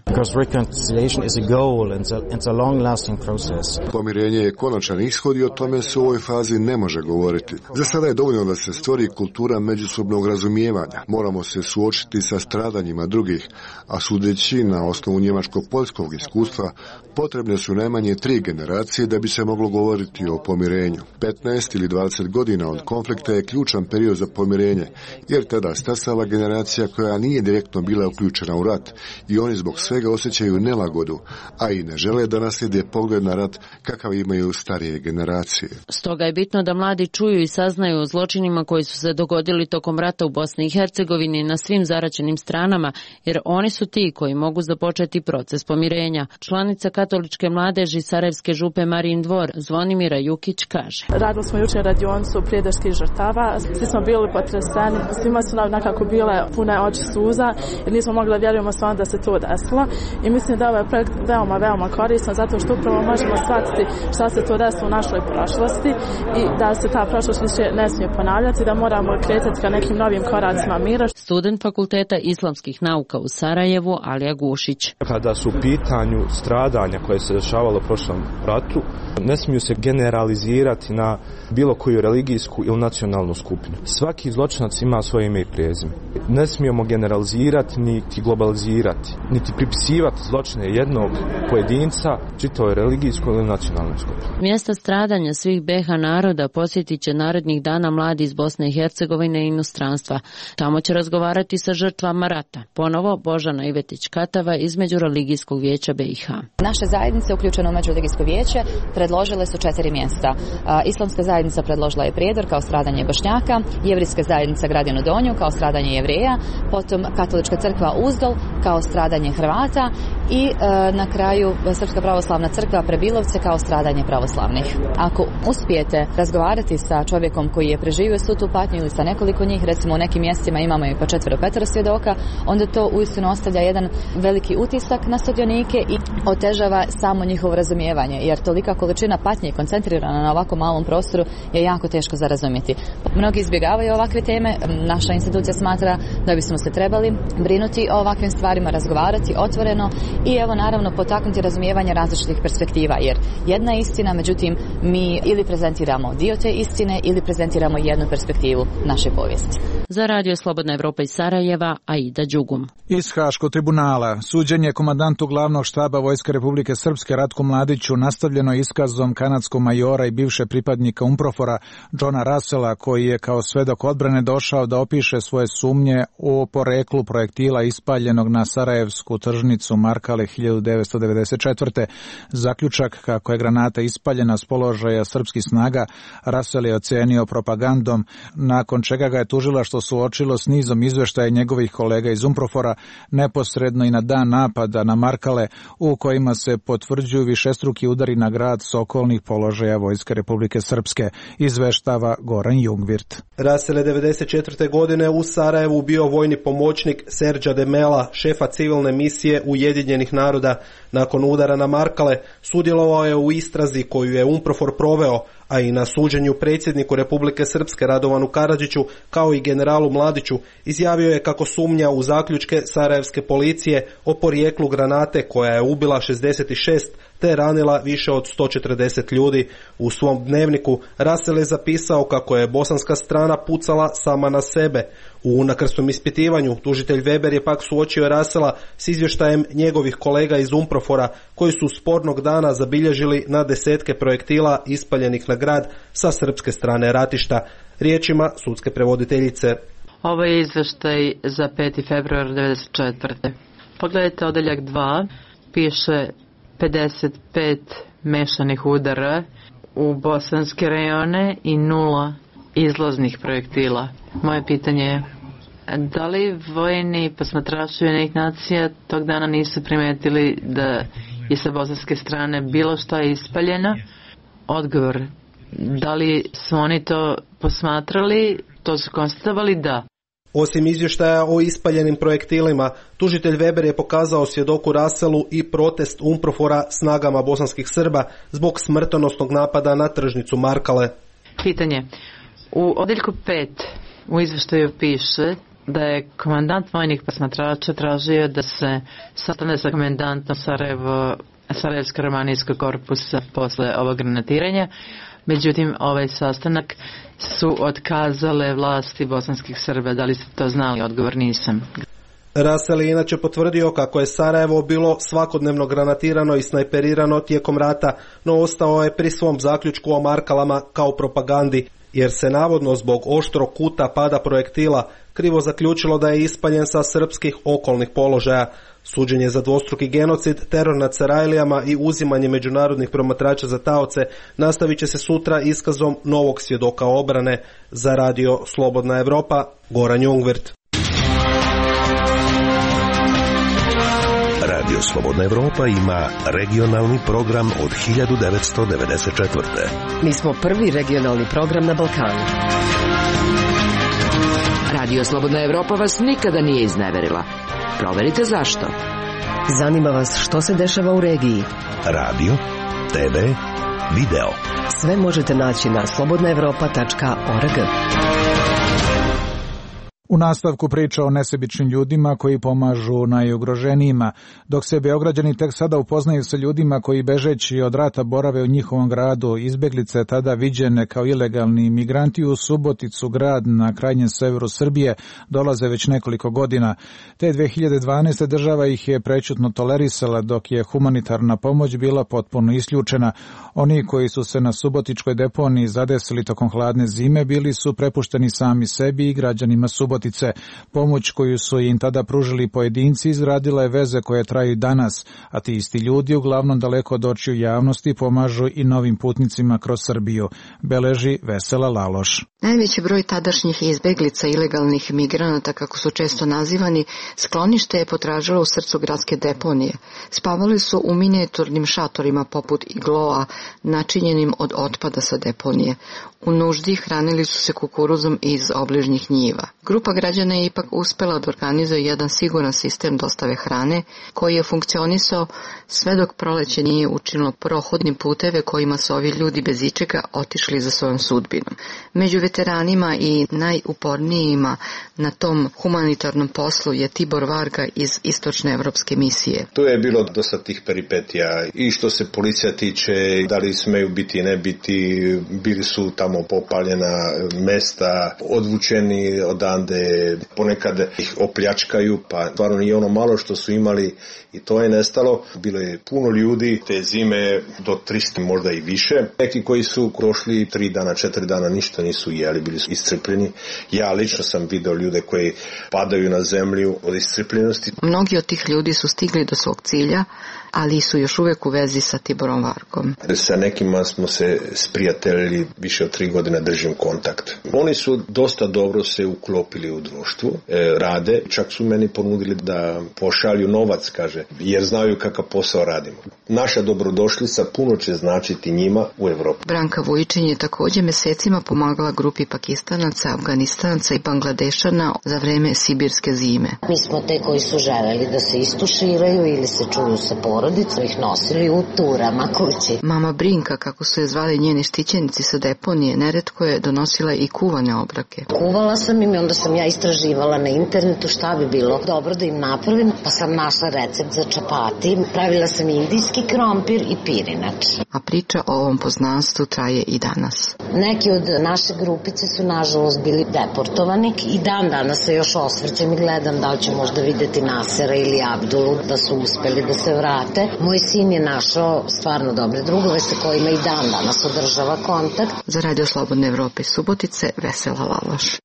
Pomirenje je konačan ishod i o tome se u ovoj fazi ne može govoriti. Za sada je dovoljno da se stvori kultura međusobnog razumijevanja. Moramo se suočiti sa stradanjima drugih, a sudeći na osnovu njemačko-poljskog iskustva, potrebne su najmanje 3 generacije da bi se moglo govoriti o pomirenju. 15 ili 20 godina od konflikta je ključan period za pomirenje, jer tada stasala generacija koja nije direktno bila uključena u rat i oni zbog svega osjećaju nelagodu, a i ne žele da naslijede pogled na rat kakav imaju starije generacije. Stoga je bitno da mladi čuju i saznaju o zločinima koji su se dogodili tokom rata u Bosni i Hercegovini na svim zaraćenim stranama, jer oni su ti koji mogu započeti proces pomirenja. Članica katoličke mladeži Sarajevske župe Marin Dvor, Zvonimira Jukić, kaže. Radili smo jučer radionicu prijateljskih žrtava, svi smo bili potreseni, svima su nam nekako bile pune oči suza jer nismo mogli da vjerujemo stvarno da se to desilo i mislim da ovaj projekt veoma koristan zato što upravo možemo shvatiti šta se to desilo u našoj prošlosti i da se ta prošlost više ne smije ponavljati, da moramo kretati ka nekim novim koracima mira. Student Fakulteta islamskih nauka u Sarajevu, Alija Gušić. Kada su u pitanju stradanja zločinjenja koje se dešavalo u prošlom ratu ne smiju se generalizirati na bilo koju religijsku ili nacionalnu skupinu. Svaki zločinac ima svoje ime i prezime. Ne smijemo generalizirati niti globalizirati, niti pripisivati zločine jednog pojedinca čitavoj religijskoj ili nacionalnoj skupini. Mjesta stradanja svih BiH naroda posjetit će narednih dana mladi iz Bosne i Hercegovine i inostranstva. Tamo će razgovarati sa žrtvama rata. Ponovo Božana Ivetić-Katava iz Međureligijskog vijeća BiH. Naše zajednice uključene u Međureligijsko vijeće predložile su 4 mjesta. Islamska zajednica predložila je Prijedor kao stradanje Bošnjaka, Jevrijska zajednica Gradinu Donju kao stradanje Jevreja, potom Katolička crkva Uzdol kao stradanje Hrvata i na kraju Srpska pravoslavna crkva Prebilovce kao stradanje pravoslavnih. Ako uspijete razgovarati sa čovjekom koji je preživio svu tu patnju ili sa nekoliko njih, recimo u nekim mjestima imamo i po 4-5 svjedoka, onda to uistinu ostavlja jedan veliki utisak na sudionike i otežava samo njihovo razumijevanje, jer tolika količina patnje koncentrirana na ovako malom prostoru je jako teško za razumjeti. Mnogi izbjegavaju ovakve teme, naša institucija smatra da bismo se trebali brinuti o ovakvim stvarima, razgovarati otvoreno i evo naravno potaknuti razumijevanje različitih perspektiva, jer jedna istina, međutim mi ili prezentiramo dio te istine ili prezentiramo jednu perspektivu naše povijesti. Za Radio Slobodna Evropa iz Sarajeva, Aida Đugum. Iz Haškog tribunala suđenje komandantu glavnog štaba Vojske Republike Srpske Ratku Mladiću nastavljeno iskazom kanadskog majora i bivše pripadnika UNPROFOR-a Johna Russella, koji je kao svedok odbrane došao da opiše svoje sumnje o poreklu projektila ispaljenog na sarajevsku tržnicu Markale 1994. Zaključak kako je granata ispaljena s položaja srpskih snaga Russell je ocenio propagandom, nakon čega ga je tužilaštvo suočilo s nizom izveštaja njegovih kolega iz UNPROFOR-a neposredno i na dan napada na Markale, u kojima se potvrđuju višestruki udari na grad s okolnih položaja Vojske Republike Srpske, izveštava Goran Jungvirt. Russell je 1994. godine u Sarajevu bio vojni pomoćnik Serđa Demela, šefa civilne misije Ujedinjenih naroda. Nakon udara na Markale sudjelovao je u istrazi koju je UNPROFOR proveo, a i na suđenju predsjedniku Republike Srpske Radovanu Karadžiću kao i generalu Mladiću. Izjavio je kako sumnja u zaključke sarajevske policije o porijeklu granate koja je ubila 66 te ranila više od 140 ljudi. U svom dnevniku Russell je zapisao kako je bosanska strana pucala sama na sebe. U unakrsnom ispitivanju tužitelj Weber je pak suočio Russella s izvještajem njegovih kolega iz UNPROFOR-a koji su spornog dana zabilježili na desetke projektila ispaljenih na grad sa srpske strane ratišta. Riječima sudske prevoditeljice. Ovo je izvještaj za 5. februar 1994. Pogledajte odeljak 2, piše 55 mešanih udara u bosanske rejone i 0 izlaznih projektila. Moje pitanje je, da li vojni posmatrači Ujedinjenih nacija tog dana nisu primetili da je sa bosanske strane bilo šta ispaljeno? Odgovor, da li su oni to posmatrali, to su konstatovali? Da. Osim izvještaja o ispaljenim projektilima, tužitelj Weber je pokazao svjedoku Russellu i protest UNPROFOR-a snagama bosanskih Srba zbog smrtonosnog napada na tržnicu Markale. Pitanje. U odjeljku 5 u izvještaju piše da je komandant vojnih posmatrača tražio da se sastane sa komandantom Sarajevsko-romanijskog korpusa posle ovog granatiranja. Međutim, ovaj sastanak su otkazale vlasti bosanskih Srba. Da li ste to znali? Odgovor nisam. Russell je inače potvrdio kako je Sarajevo bilo svakodnevno granatirano i snajperirano tijekom rata, no ostao je pri svom zaključku o Markalama kao propagandi, jer se navodno zbog oštrog kuta pada projektila krivo zaključilo da je ispaljen sa srpskih okolnih položaja. Suđenje za dvostruki genocid, teror nad Sarajlijama i uzimanje međunarodnih promatrača za taoce nastavit će se sutra iskazom novog svjedoka obrane. Za Radio Slobodna Evropa, Goran Jungvirt. Radio Slobodna Evropa ima regionalni program od 1994. Mi smo prvi regionalni program na Balkanu. Radio Slobodna Evropa vas nikada nije izneverila. Proverite zašto. Zanima vas što se dešava u regiji. Radio, TV, video. Sve možete naći na slobodnaevropa.org. U nastavku priča o nesebičnim ljudima koji pomažu najugroženijima, dok se Beograđani tek sada upoznaju sa ljudima koji bežeći od rata borave u njihovom gradu, izbeglice tada viđene kao ilegalni migranti u Suboticu, grad na krajnjem severu Srbije, dolaze već nekoliko godina. Te 2012. država ih je prećutno tolerisala, dok je humanitarna pomoć bila potpuno isključena. Oni koji su se na subotičkoj deponiji zadesili tokom hladne zime bili su prepušteni sami sebi i građanima Subotice. Pomoć koju su im tada pružili pojedinci izgradila je veze koje traju danas, a ti isti ljudi uglavnom daleko od očiju javnosti pomažu i novim putnicima kroz Srbiju, beleži Vesela Laloš. Najveći broj tadašnjih izbeglica ilegalnih migranata, kako su često nazivani, sklonište je potražilo u srcu gradske deponije. Spavali su u minijaturnim šatorima poput igloa, načinjenim od otpada sa deponije. U nuždi hranili su se kukuruzom iz obližnjih njiva. Grupa građana je ipak uspela da organizuje jedan siguran sistem dostave hrane, koji je funkcionisao sve dok proleće nije učinilo prohodnim puteve kojima su ovi ljudi bez ičega otišli za svojom sudbinom. Među veteranima i najupornijima na tom humanitarnom poslu je Tibor Varga iz Istočne evropske misije. Tu je bilo dosta tih peripetija i što se policija tiče, da li smeju biti, ne biti, bili su tamo popaljena mesta, odvučeni odande, ponekad ih opljačkaju, pa stvarno nije ono malo što su imali i to je nestalo. Bilo je puno ljudi te zime do 300, možda i više. Neki koji su prošli 3 dana, 4 dana ništa nisu jeli, bili su iscrpljeni. Ja lično sam video ljude koji padaju na zemlju od iscrpljenosti. Mnogi od tih ljudi su stigli do svog cilja, ali su još uvek u vezi sa Tiborom Vargom. Sa nekima smo se sprijateljili, više od 3 godine držim kontakt. Oni su dosta dobro se uklopili u društvu, rade, čak su meni ponudili da pošalju novac, kaže, jer znaju kakav posao radimo. Naša dobrodošlica puno će značiti njima u Evropi. Branka Vujičin je također mesecima pomagala grupi Pakistanaca, Afganistanaca i Bangladešana za vreme sibirske zime. Mi smo te koji su želeli da se istuširaju ili se čuju sa porodicom, ih nosili u turama kući. Mama Brinka, kako su je zvali njeni štićenici sa deponije, neretko je donosila i kuvane obroke. Kuvala sam im i onda sam ja istraživala na internetu šta bi bilo dobro da im napravim, pa sam našla recept za čapati. Pravila sam indijski krompir i pirinač. A priča o ovom poznanstvu traje i danas. Neki od naše grupice su nažalost bili deportovani i dan danas se još osvrćem i gledam da li ću možda videti Nasera ili Abdulu da su uspeli da se vrate. Moj sin je našao stvarno dobre drugove sa kojima i dan danas održava kontakt. Za Radio Slobodne Evrope Subotice, Vesela Laloš.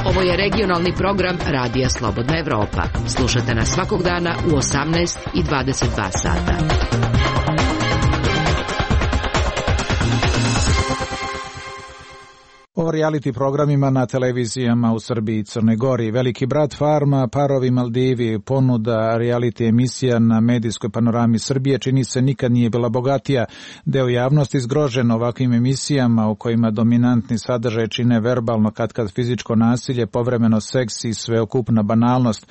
Ovo je regionalni program Radija Slobodna Evropa. Slušate nas svakog dana u 18 i 22 sata. O reality programima na televizijama u Srbiji i Crnoj Gori. Veliki brat Farma, Parovi Maldivi, ponuda reality emisija na medijskoj panorami Srbije čini se nikad nije bila bogatija. Deo javnosti zgrožen ovakvim emisijama u kojima dominantni sadržaj čine verbalno katkad fizičko nasilje, povremeno seks i sveokupna banalnost.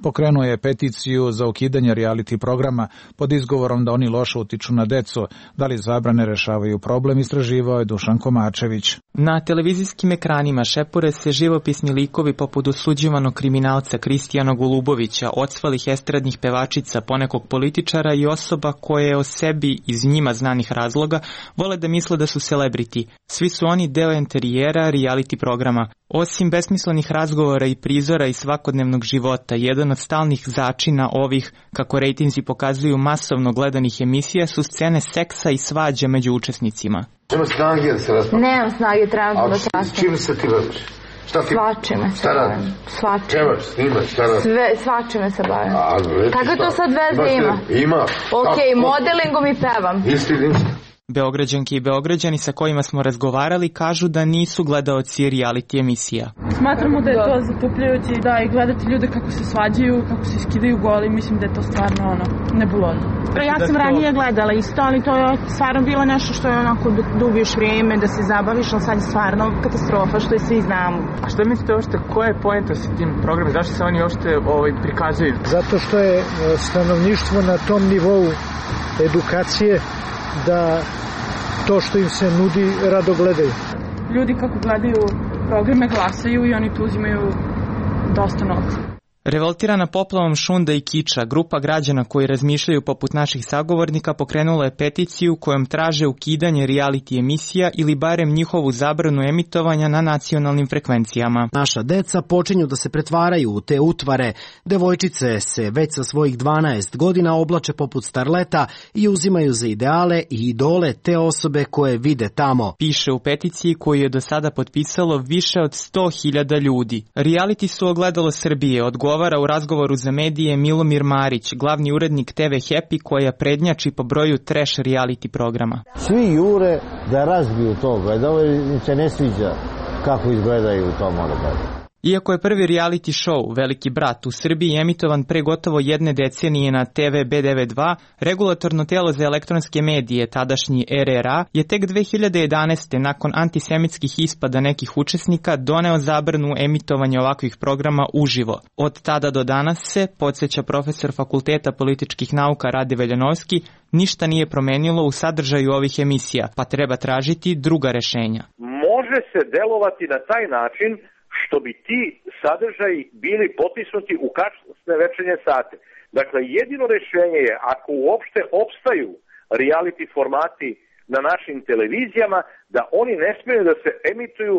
Pokrenuo je peticiju za ukidanje reality programa pod izgovorom da oni loše utiču na decu. Da li zabrane rešavaju problem, istraživao je Dušan Komačević. Na televizijskim ekranima šepure se živopisni likovi poput osuđivanog kriminalca Kristijana Golubovića, odsvalih estradnih pevačica, ponekog političara i osoba koje o sebi iz njima znanih razloga vole da misle da su celebrity. Svi su oni deo enterijera reality programa. Osim besmislenih razgovora i prizora iz svakodnevnog života, jedan od stalnih začina ovih, kako rejtinzi pokazuju, masovno gledanih emisija su scene seksa i svađa među učesnicima. Nema snage da se raspravlja? Nemam snage, trebam da se raspravlja. Čime se ti baviš? Svačime se bavim. Čemaš, snimaš, šta radiš? Svačime se bavim. Kako to sad veze ima? Ima. Ok, modelingom i pevam. Ništa. Beograđanke i Beograđani sa kojima smo razgovarali kažu da nisu gledaoci reality emisija. Smatramo da je to zatupljujuće i gledati ljude kako se svađaju, kako se skidaju goli, mislim da je to stvarno nebulozno. Ja sam ranije gledala isto, ali to je stvarno bilo nešto što je onako da ubiješ vrijeme, da se zabaviš, ali sad je stvarno katastrofa, što i svi znamo. A što mislite uopšte, koja je poenta sa tim programom? Zašto se oni uopšte prikazuju? Zato što je stanovništvo na tom nivou edukacije da to što im se nudi rado gledaju. ljudi kako gledaju programe glasaju i oni tu uzimaju dosta novca. Revoltirana poplavom šunda i kiča, grupa građana koji razmišljaju poput naših sagovornika pokrenula je peticiju kojom traže ukidanje reality emisija ili barem njihovu zabranu emitovanja na nacionalnim frekvencijama. Naša deca počinju da se pretvaraju u te utvare. Devojčice se već sa svojih 12 godina oblače poput starleta i uzimaju za ideale i idole te osobe koje vide tamo. Piše u peticiji koju je do sada potpisalo više od 100.000 ljudi. Reality su ogledalo Srbije, odgovara u razgovoru za medije Milomir Marić, glavni urednik TV Happy koja prednjači po broju trash reality programa. Svi jure da razbiju toga, da ovo se ne sviđa kako izgledaju u tom odgledu. Iako je prvi reality show Veliki brat u Srbiji emitovan pre gotovo jedne decenije na TV B92, regulatorno telo za elektronske medije, tadašnji RRA, je tek 2011. nakon antisemitskih ispada nekih učesnika doneo zabranu emitovanja ovakvih programa uživo. Od tada do danas se, podsjeća profesor Fakulteta političkih nauka Rade Veljanovski, ništa nije promenilo u sadržaju ovih emisija, pa treba tražiti druga rešenja. Može se delovati na taj način što bi ti sadržaji bili potisnuti u kasne večernje sate. Dakle, jedino rješenje je, ako uopšte opstaju reality formati na našim televizijama, da oni ne smiju da se emituju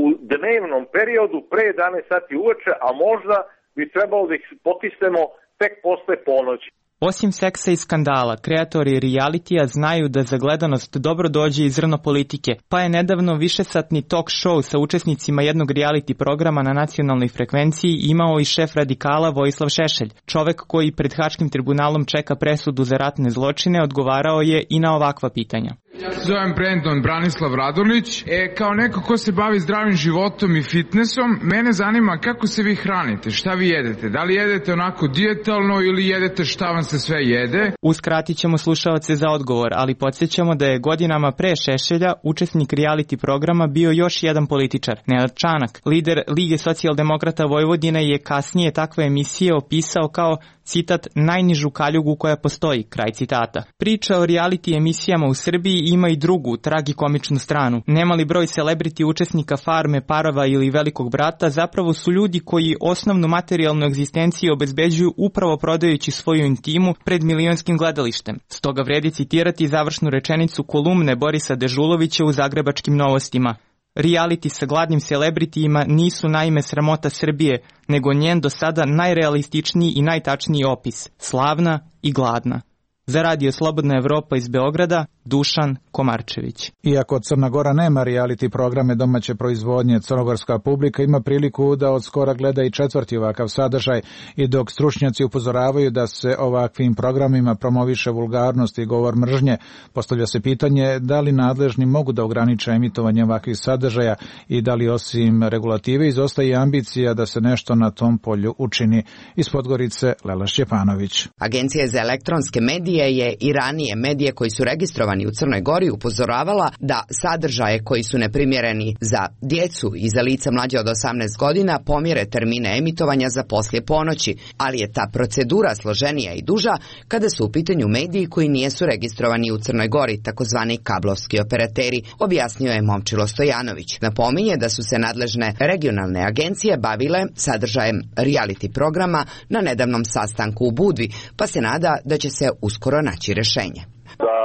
u dnevnom periodu pre 11 sati uveče, a možda bi trebalo da ih potisnemo tek posle ponoći. Osim seksa i skandala, kreatori realitija znaju da za gledanost dobro dođe i zrno politike, pa je nedavno višesatni talk show sa učesnicima jednog reality programa na nacionalnoj frekvenciji imao i šef radikala Vojislav Šešelj. Čovek koji pred Haškim tribunalom čeka presudu za ratne zločine odgovarao je i na ovakva pitanja. Ja se zovem Brandon Branislav Radonić. Kao neko ko se bavi zdravim životom i fitnessom, mene zanima kako se vi hranite, šta vi jedete, da li jedete onako dijetalno ili jedete šta vam se sve jede? Uskratit ćemo slušalce za odgovor, ali podsjećamo da je godinama pre Šešelja učesnik reality programa bio još jedan političar, Nenad Čanak. Lider Lige socijaldemokrata Vojvodine je kasnije takve emisije opisao kao, citat, najnižu kaljugu koja postoji, kraj citata. Priča o reality emisijama u Srbiji ima i drugu, tragikomičnu stranu. Nemali broj celebrity učesnika Farme, Parova ili Velikog brata zapravo su ljudi koji osnovnu materijalnu egzistenciju obezbeđuju upravo prodajući svoju intimu pred milionskim gledalištem. Stoga vredi citirati završnu rečenicu kolumne Borisa Dežulovića u Zagrebačkim novostima. Reality sa gladnim celebritijima nisu naime sramota Srbije, nego njen do sada najrealističniji i najtačniji opis, slavna i gladna. Za Radio Slobodna Evropa iz Beograda, Dušan Komarčević. Iako Crna Gora nema reality programe domaće proizvodnje, crnogorska publika ima priliku da od skora gleda i četvrti ovakav sadržaj, i dok stručnjaci upozoravaju da se ovakvim programima promoviše vulgarnost i govor mržnje, postavlja se pitanje da li nadležni mogu da ograniče emitovanje ovakvih sadržaja i da li osim regulative izostaje ambicija da se nešto na tom polju učini. Iz Podgorice, Lela Šćepanović. Agencija za elektronske medije je i ranije medije koji su registrovani u Crnoj Gori upozoravala da sadržaje koji su neprimjereni za djecu i za lica mlađe od 18 godina pomjere termine emitovanja za poslije ponoći, ali je ta procedura složenija i duža kada su u pitanju mediji koji nisu registrovani u Crnoj Gori, takozvani kablovski operateri, objasnio je Momčilo Stojanović. Napominje da su se nadležne regionalne agencije bavile sadržajem reality programa na nedavnom sastanku u Budvi, pa se nada da će se uskoro naći rješenje. Da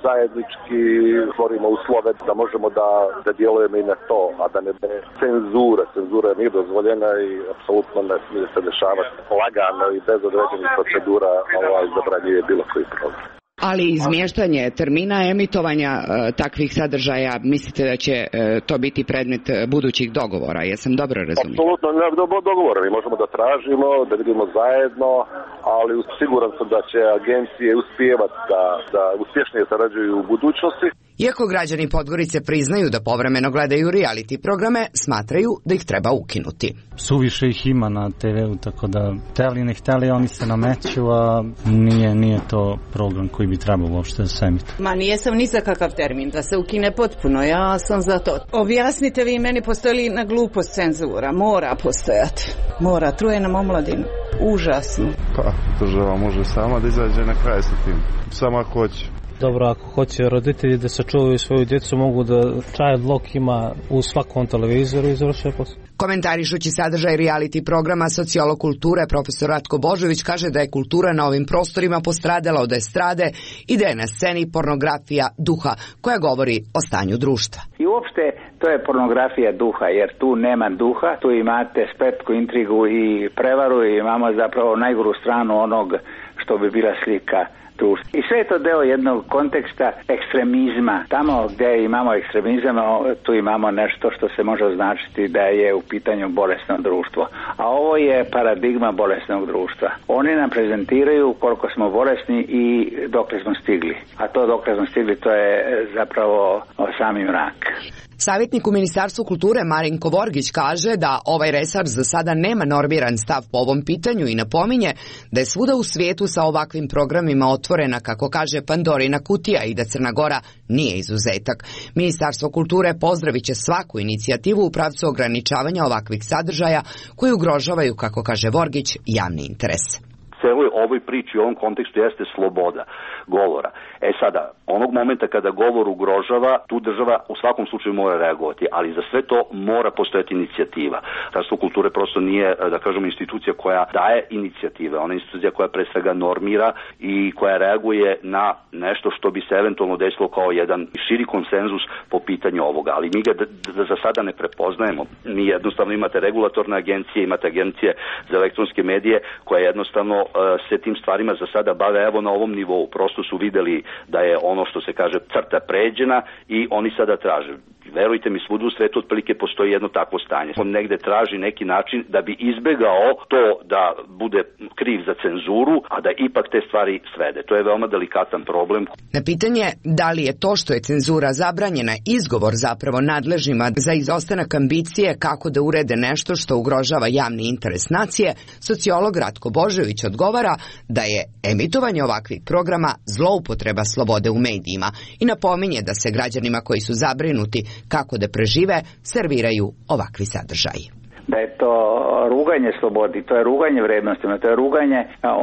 zajednički stvorimo uslove da možemo da djelujemo i na to, a da ne cenzura. Cenzura nije dozvoljena i apsolutno ne smije se dešavati lagano i bez određenih procedura zabranjuje bilo koji program. Ali izmještanje termina emitovanja takvih sadržaja, mislite da će to biti predmet budućih dogovora? Jesam dobro razumio? Apsolutno, dogovora. Mi možemo da tražimo, da vidimo zajedno, ali siguran sam da će agencije uspijevati da uspješnije sarađuju u budućnosti. Iako građani Podgorice priznaju da povremeno gledaju reality programe, smatraju da ih treba ukinuti. Suviše ih ima na TV-u, tako da hteli ne hteli oni se nameću, a nije to program koji bi trebao uopšte da se emituje. Ma nijesam ni za kakav termin, da se ukine potpuno, ja sam za to. Objasnite vi meni, postoji li na glupost cenzura? Mora postojati. Mora, truje nam omladinu. Užasno. Pa, država može sama da izađe na kraj sa tim. Samo ako hoće. Dobro, ako hoće roditelji da sačuvaju svoju djecu, mogu da child lock ima u svakom televizoru i završuje posao. Komentarišući sadržaj reality programa sociolog kulture profesor Ratko Božović kaže da je kultura na ovim prostorima postradala od estrade i da je na sceni pornografija duha koja govori o stanju društva. I uopšte to je pornografija duha, jer tu nema duha, tu imate spletku, intrigu i prevaru i imamo zapravo najgoru stranu onog što bi bila slika društva. I sve je to deo jednog konteksta ekstremizma. Tamo gdje imamo ekstremizam, tu imamo nešto što se može označiti da je u pitanju bolesno društvo. A ovo je paradigma bolesnog društva. Oni nam prezentiraju koliko smo bolesni i dokle smo stigli. A to dokle smo stigli, to je zapravo sami mrak. Savjetnik u Ministarstvu kulture Marinko Vorgić kaže da ovaj resor za sada nema normiran stav po ovom pitanju i napominje da je svuda u svijetu sa ovakvim programima otvorena, kako kaže, Pandorina kutija i da Crna Gora nije izuzetak. Ministarstvo kulture pozdravit će svaku inicijativu u pravcu ograničavanja ovakvih sadržaja koji ugrožavaju, kako kaže Vorgić, javni interes. Celoj ovoj priči u ovom kontekstu jeste sloboda govora. Sada, onog momenta kada govor ugrožava, tu država u svakom slučaju mora reagovati, ali za sve to mora postojati inicijativa. Ministarstvo kulture prosto nije, da kažemo, institucija koja daje inicijative, ona je institucija koja pre svega normira i koja reaguje na nešto što bi se eventualno desilo kao jedan širi konsenzus po pitanju ovoga, ali mi ga za sada ne prepoznajemo. Mi jednostavno imate regulatorne agencije, imate agencije za elektronske medije koje jednostavno se tim stvarima za sada bave evo na ovom nivou. Prosto su videli da je ono što se kaže crta pređena i oni sada traže. Verujte mi, svuda u svetu otprilike postoji jedno takvo stanje. On negde traži neki način da bi izbegao to da bude kriv za cenzuru, a da ipak te stvari svede. To je veoma delikatan problem. Na pitanje da li je to što je cenzura zabranjena izgovor zapravo nadležnima za izostanak ambicije kako da urede nešto što ugrožava javni interes nacije, sociolog Ratko Božović odgovara da je emitovanje ovakvih programa zloupotreba slobode u medijima i napominje da se građanima koji su zabrinuti kako da prežive serviraju ovakvi sadržaji. Da je to ruganje slobodi, to je ruganje vrednostima, to je ruganje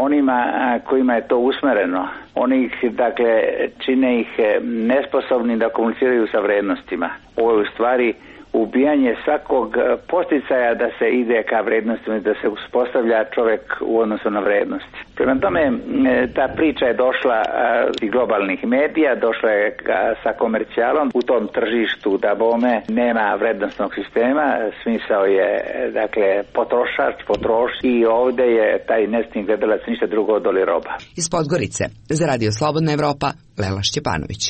onima kojima je to usmereno. Oni ih, dakle, čine ih nesposobni da komuniciraju sa vrednostima. Ovo je u stvari ubijanje svakog posticaja da se ide ka vrednostima, da se uspostavlja čovjek u odnosu na vrednosti. Prema tome, ta priča je došla iz globalnih medija, došla je sa komercijalom. U tom tržištu da bome nema vrednostnog sistema, smisao je, dakle, potrošač, i ovdje je taj nesretni gledalac ništa drugo od doli roba. Iz Podgorice, za Radio Slobodna Evropa, Lela Šćepanović.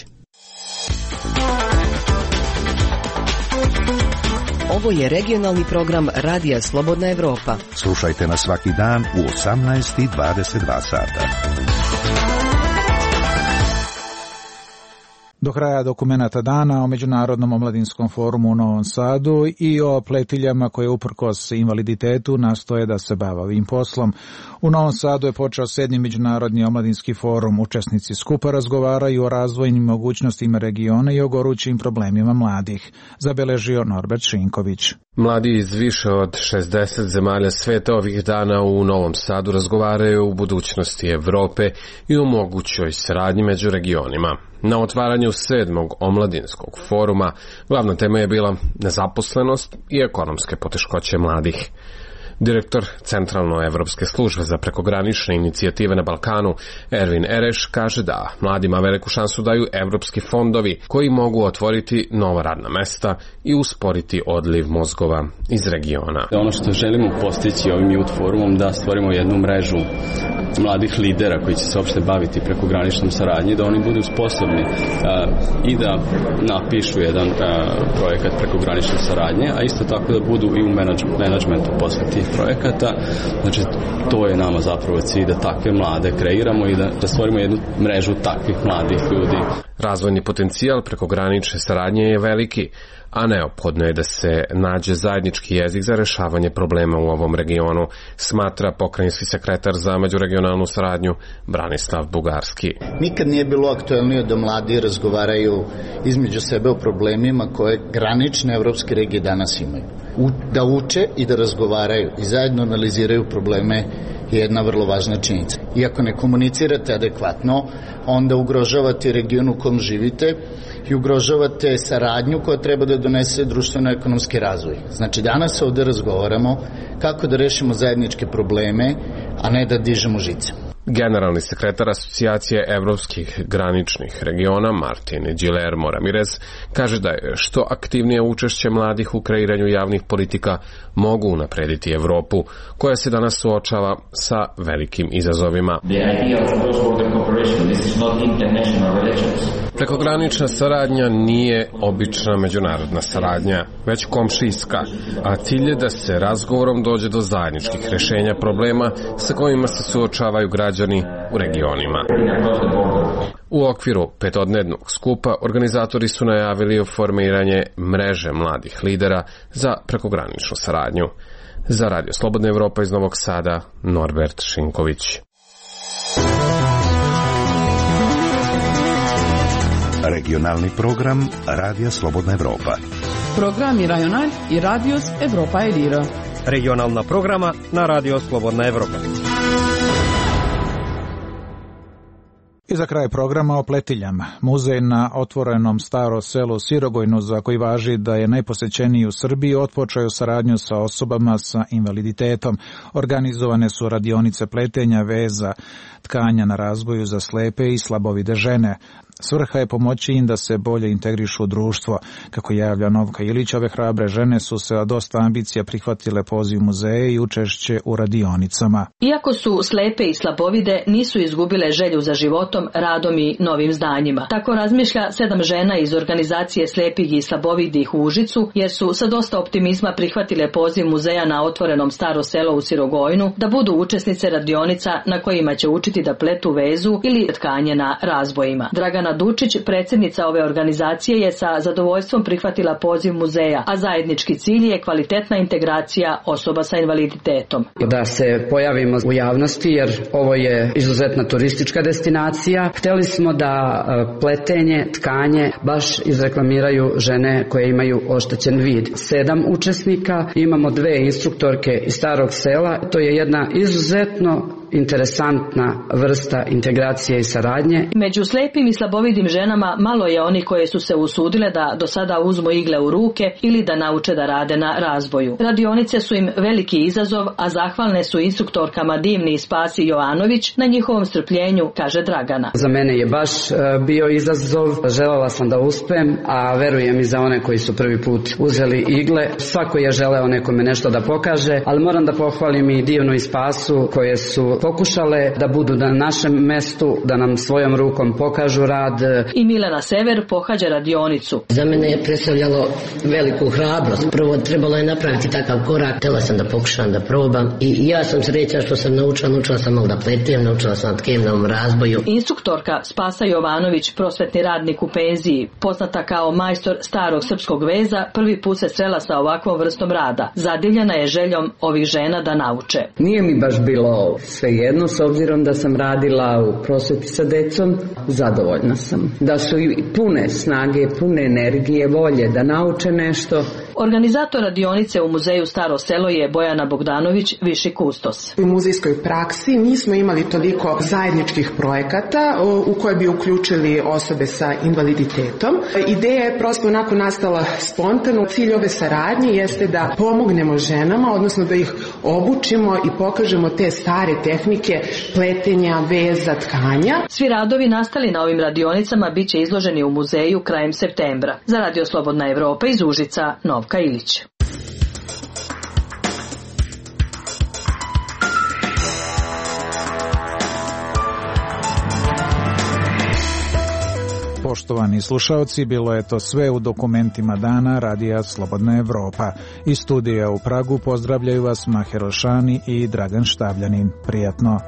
Ovo je regionalni program Radija Slobodna Evropa. Slušajte nas svaki dan u 18:22 sata. Do kraja dokumenata dana o Međunarodnom omladinskom forumu u Novom Sadu i o pletiljama koje uprkos invaliditetu nastoje da se bave ovim poslom. U Novom Sadu je počeo 7. Međunarodni omladinski forum. Učesnici skupa razgovaraju o razvojnim mogućnostima regiona i o gorućim problemima mladih, zabeležio Norbert Šinković. Mladi iz više od 60 zemalja sveta ovih dana u Novom Sadu razgovaraju o budućnosti Evrope i o mogućoj saradnji među regionima. Na otvaranju 7. omladinskog foruma glavna tema je bila nezaposlenost i ekonomske poteškoće mladih. Direktor Centralnoevropske službe za prekogranične inicijative na Balkanu, Ervin Ereš, kaže da mladima veliku šansu daju evropski fondovi koji mogu otvoriti nova radna mesta i usporiti odliv mozgova iz regiona. Ono što želimo postići ovim Youth Forumom da stvorimo jednu mrežu mladih lidera koji će se uopšte baviti prekograničnom saradnji, da oni budu sposobni i da napišu jedan projekat prekogranične saradnje, a isto tako da budu i u menadžmentu posle tih projekata. Znači, to je nama zapravo cilj, da takve mlade kreiramo i da stvorimo jednu mrežu takvih mladih ljudi. Razvojni potencijal prekogranične saradnje je veliki, a neophodno je da se nađe zajednički jezik za rešavanje problema u ovom regionu, smatra pokrajinski sekretar za međuregionalnu saradnju Branislav Bugarski. Nikad nije bilo aktuelnije da mladi razgovaraju između sebe o problemima koje granične evropske regije danas imaju. Da uče i da razgovaraju i zajedno analiziraju probleme je jedna vrlo važna činjenica. Iako ne komunicirate adekvatno, onda ugrožavate region u kom živite i ugrožavate saradnju koja treba da donese društveno-ekonomski razvoj. Znači, danas ovde razgovaramo kako da rešimo zajedničke probleme, a ne da dižemo žice. Generalni sekretar Asocijacije evropskih graničnih regiona Martin Guillermo Ramirez kaže da je što aktivnije učešće mladih u kreiranju javnih politika mogu unaprediti Evropu, koja se danas suočava sa velikim izazovima. Prekogranična saradnja nije obična međunarodna saradnja, već komšijska, a cilj je da se razgovorom dođe do zajedničkih rešenja problema sa kojima se suočavaju građani u regionima. U okviru petodnevnog skupa organizatori su najavili formiranje mreže mladih lidera za prekograničnu saradnju. Za Radio Slobodna Evropa iz Novog Sada, Norbert Šinković. Regionalni program Radija Slobodna Evropa. Programi Rajonal i Radios Evropa Edira. Regionalna programa na Radio Slobodna Evropa. I za kraj programa o Pletiljama. Muzej na otvorenom Staro selo Sirogojnu, za koji važi da je najposećeniji u Srbiji, otpočeo saradnju sa osobama sa invaliditetom. Organizovane su radionice pletenja, veza, tkanja na razboju za slepe i slabovide žene. Svrha je pomoći im da se bolje integrišu u društvo. Kako javlja Novka Ilić, ove hrabre žene su se dosta ambicija prihvatile poziv muzeja i učešće u radionicama. Iako su slepe i slabovide, nisu izgubile želju za životom, radom i novim znanjima. Tako razmišlja 7 žena iz organizacije slepih i slabovidih u Užicu, jer su sa dosta optimizma prihvatile poziv muzeja na otvorenom Staro selo u Sirogojnu da budu učesnice radionica na kojima će učiti da pletu vezu ili tkanje na razbojima. Dragana Dučić, predsjednica ove organizacije, je sa zadovoljstvom prihvatila poziv muzeja, a zajednički cilj je kvalitetna integracija osoba sa invaliditetom. Da se pojavimo u javnosti, jer ovo je izuzetna turistička destinacija. Hteli smo da pletenje, tkanje baš izreklamiraju žene koje imaju oštećen vid. 7 učesnika, imamo 2 instruktorke iz Starog sela. To je jedna izuzetno interesantna vrsta integracije i saradnje. Među slepim i slabovidim ženama malo je oni koje su se usudile da do sada uzmu igle u ruke ili da nauče da rade na razboju. Radionice su im veliki izazov, a zahvalne su instruktorkama Divni i Spasi Jovanović na njihovom strpljenju, kaže Dragana. Za mene je baš bio izazov, želela sam da uspem, a verujem i za one koji su prvi put uzeli igle. Svako je želeo nekome nešto da pokaže, ali moram da pohvalim i Divnu i Spasu koje su pokušale da budu na našem mestu, da nam svojom rukom pokažu rad. I Milena Sever pohađa radionicu. Za mene je predstavljalo veliku hrabrost. Prvo trebalo je napraviti takav korak. Htjela sam da pokušam da probam i ja sam srećna što sam naučila sam malo da pletem, naučila sam tkemnom razboju. Instruktorka Spasa Jovanović, prosvetni radnik u penziji, poznata kao majstor starog srpskog veza, prvi put se srela sa ovakvom vrstom rada. Zadivljena je željom ovih žena da nauče. Nije mi baš bilo svejedno, s obzirom da sam radila u prosveti sa decom, zadovoljna sam. Da su i pune snage, pune energije, volje da nauče nešto. Organizator radionice u muzeju Staro selo je Bojana Bogdanović, viši kustos. U muzejskoj praksi nismo imali toliko zajedničkih projekata u koje bi uključili osobe sa invaliditetom. Ideja je prosto onako nastala spontano. Cilj ove saradnje jeste da pomognemo ženama, odnosno da ih obučimo i pokažemo te stare tehnike pletenja, veza, tkanja. Svi radovi nastali na ovim radionicama bit će izloženi u muzeju krajem septembra. Za Radio Slobodna Evropa iz Užica, Novka Ilić. Poštovani slušaoci, bilo je to sve u dokumentima dana Radija Slobodna Evropa. Iz studija u Pragu pozdravljaju vas Maher Ošani i Dragan Štavljanin. Prijatno.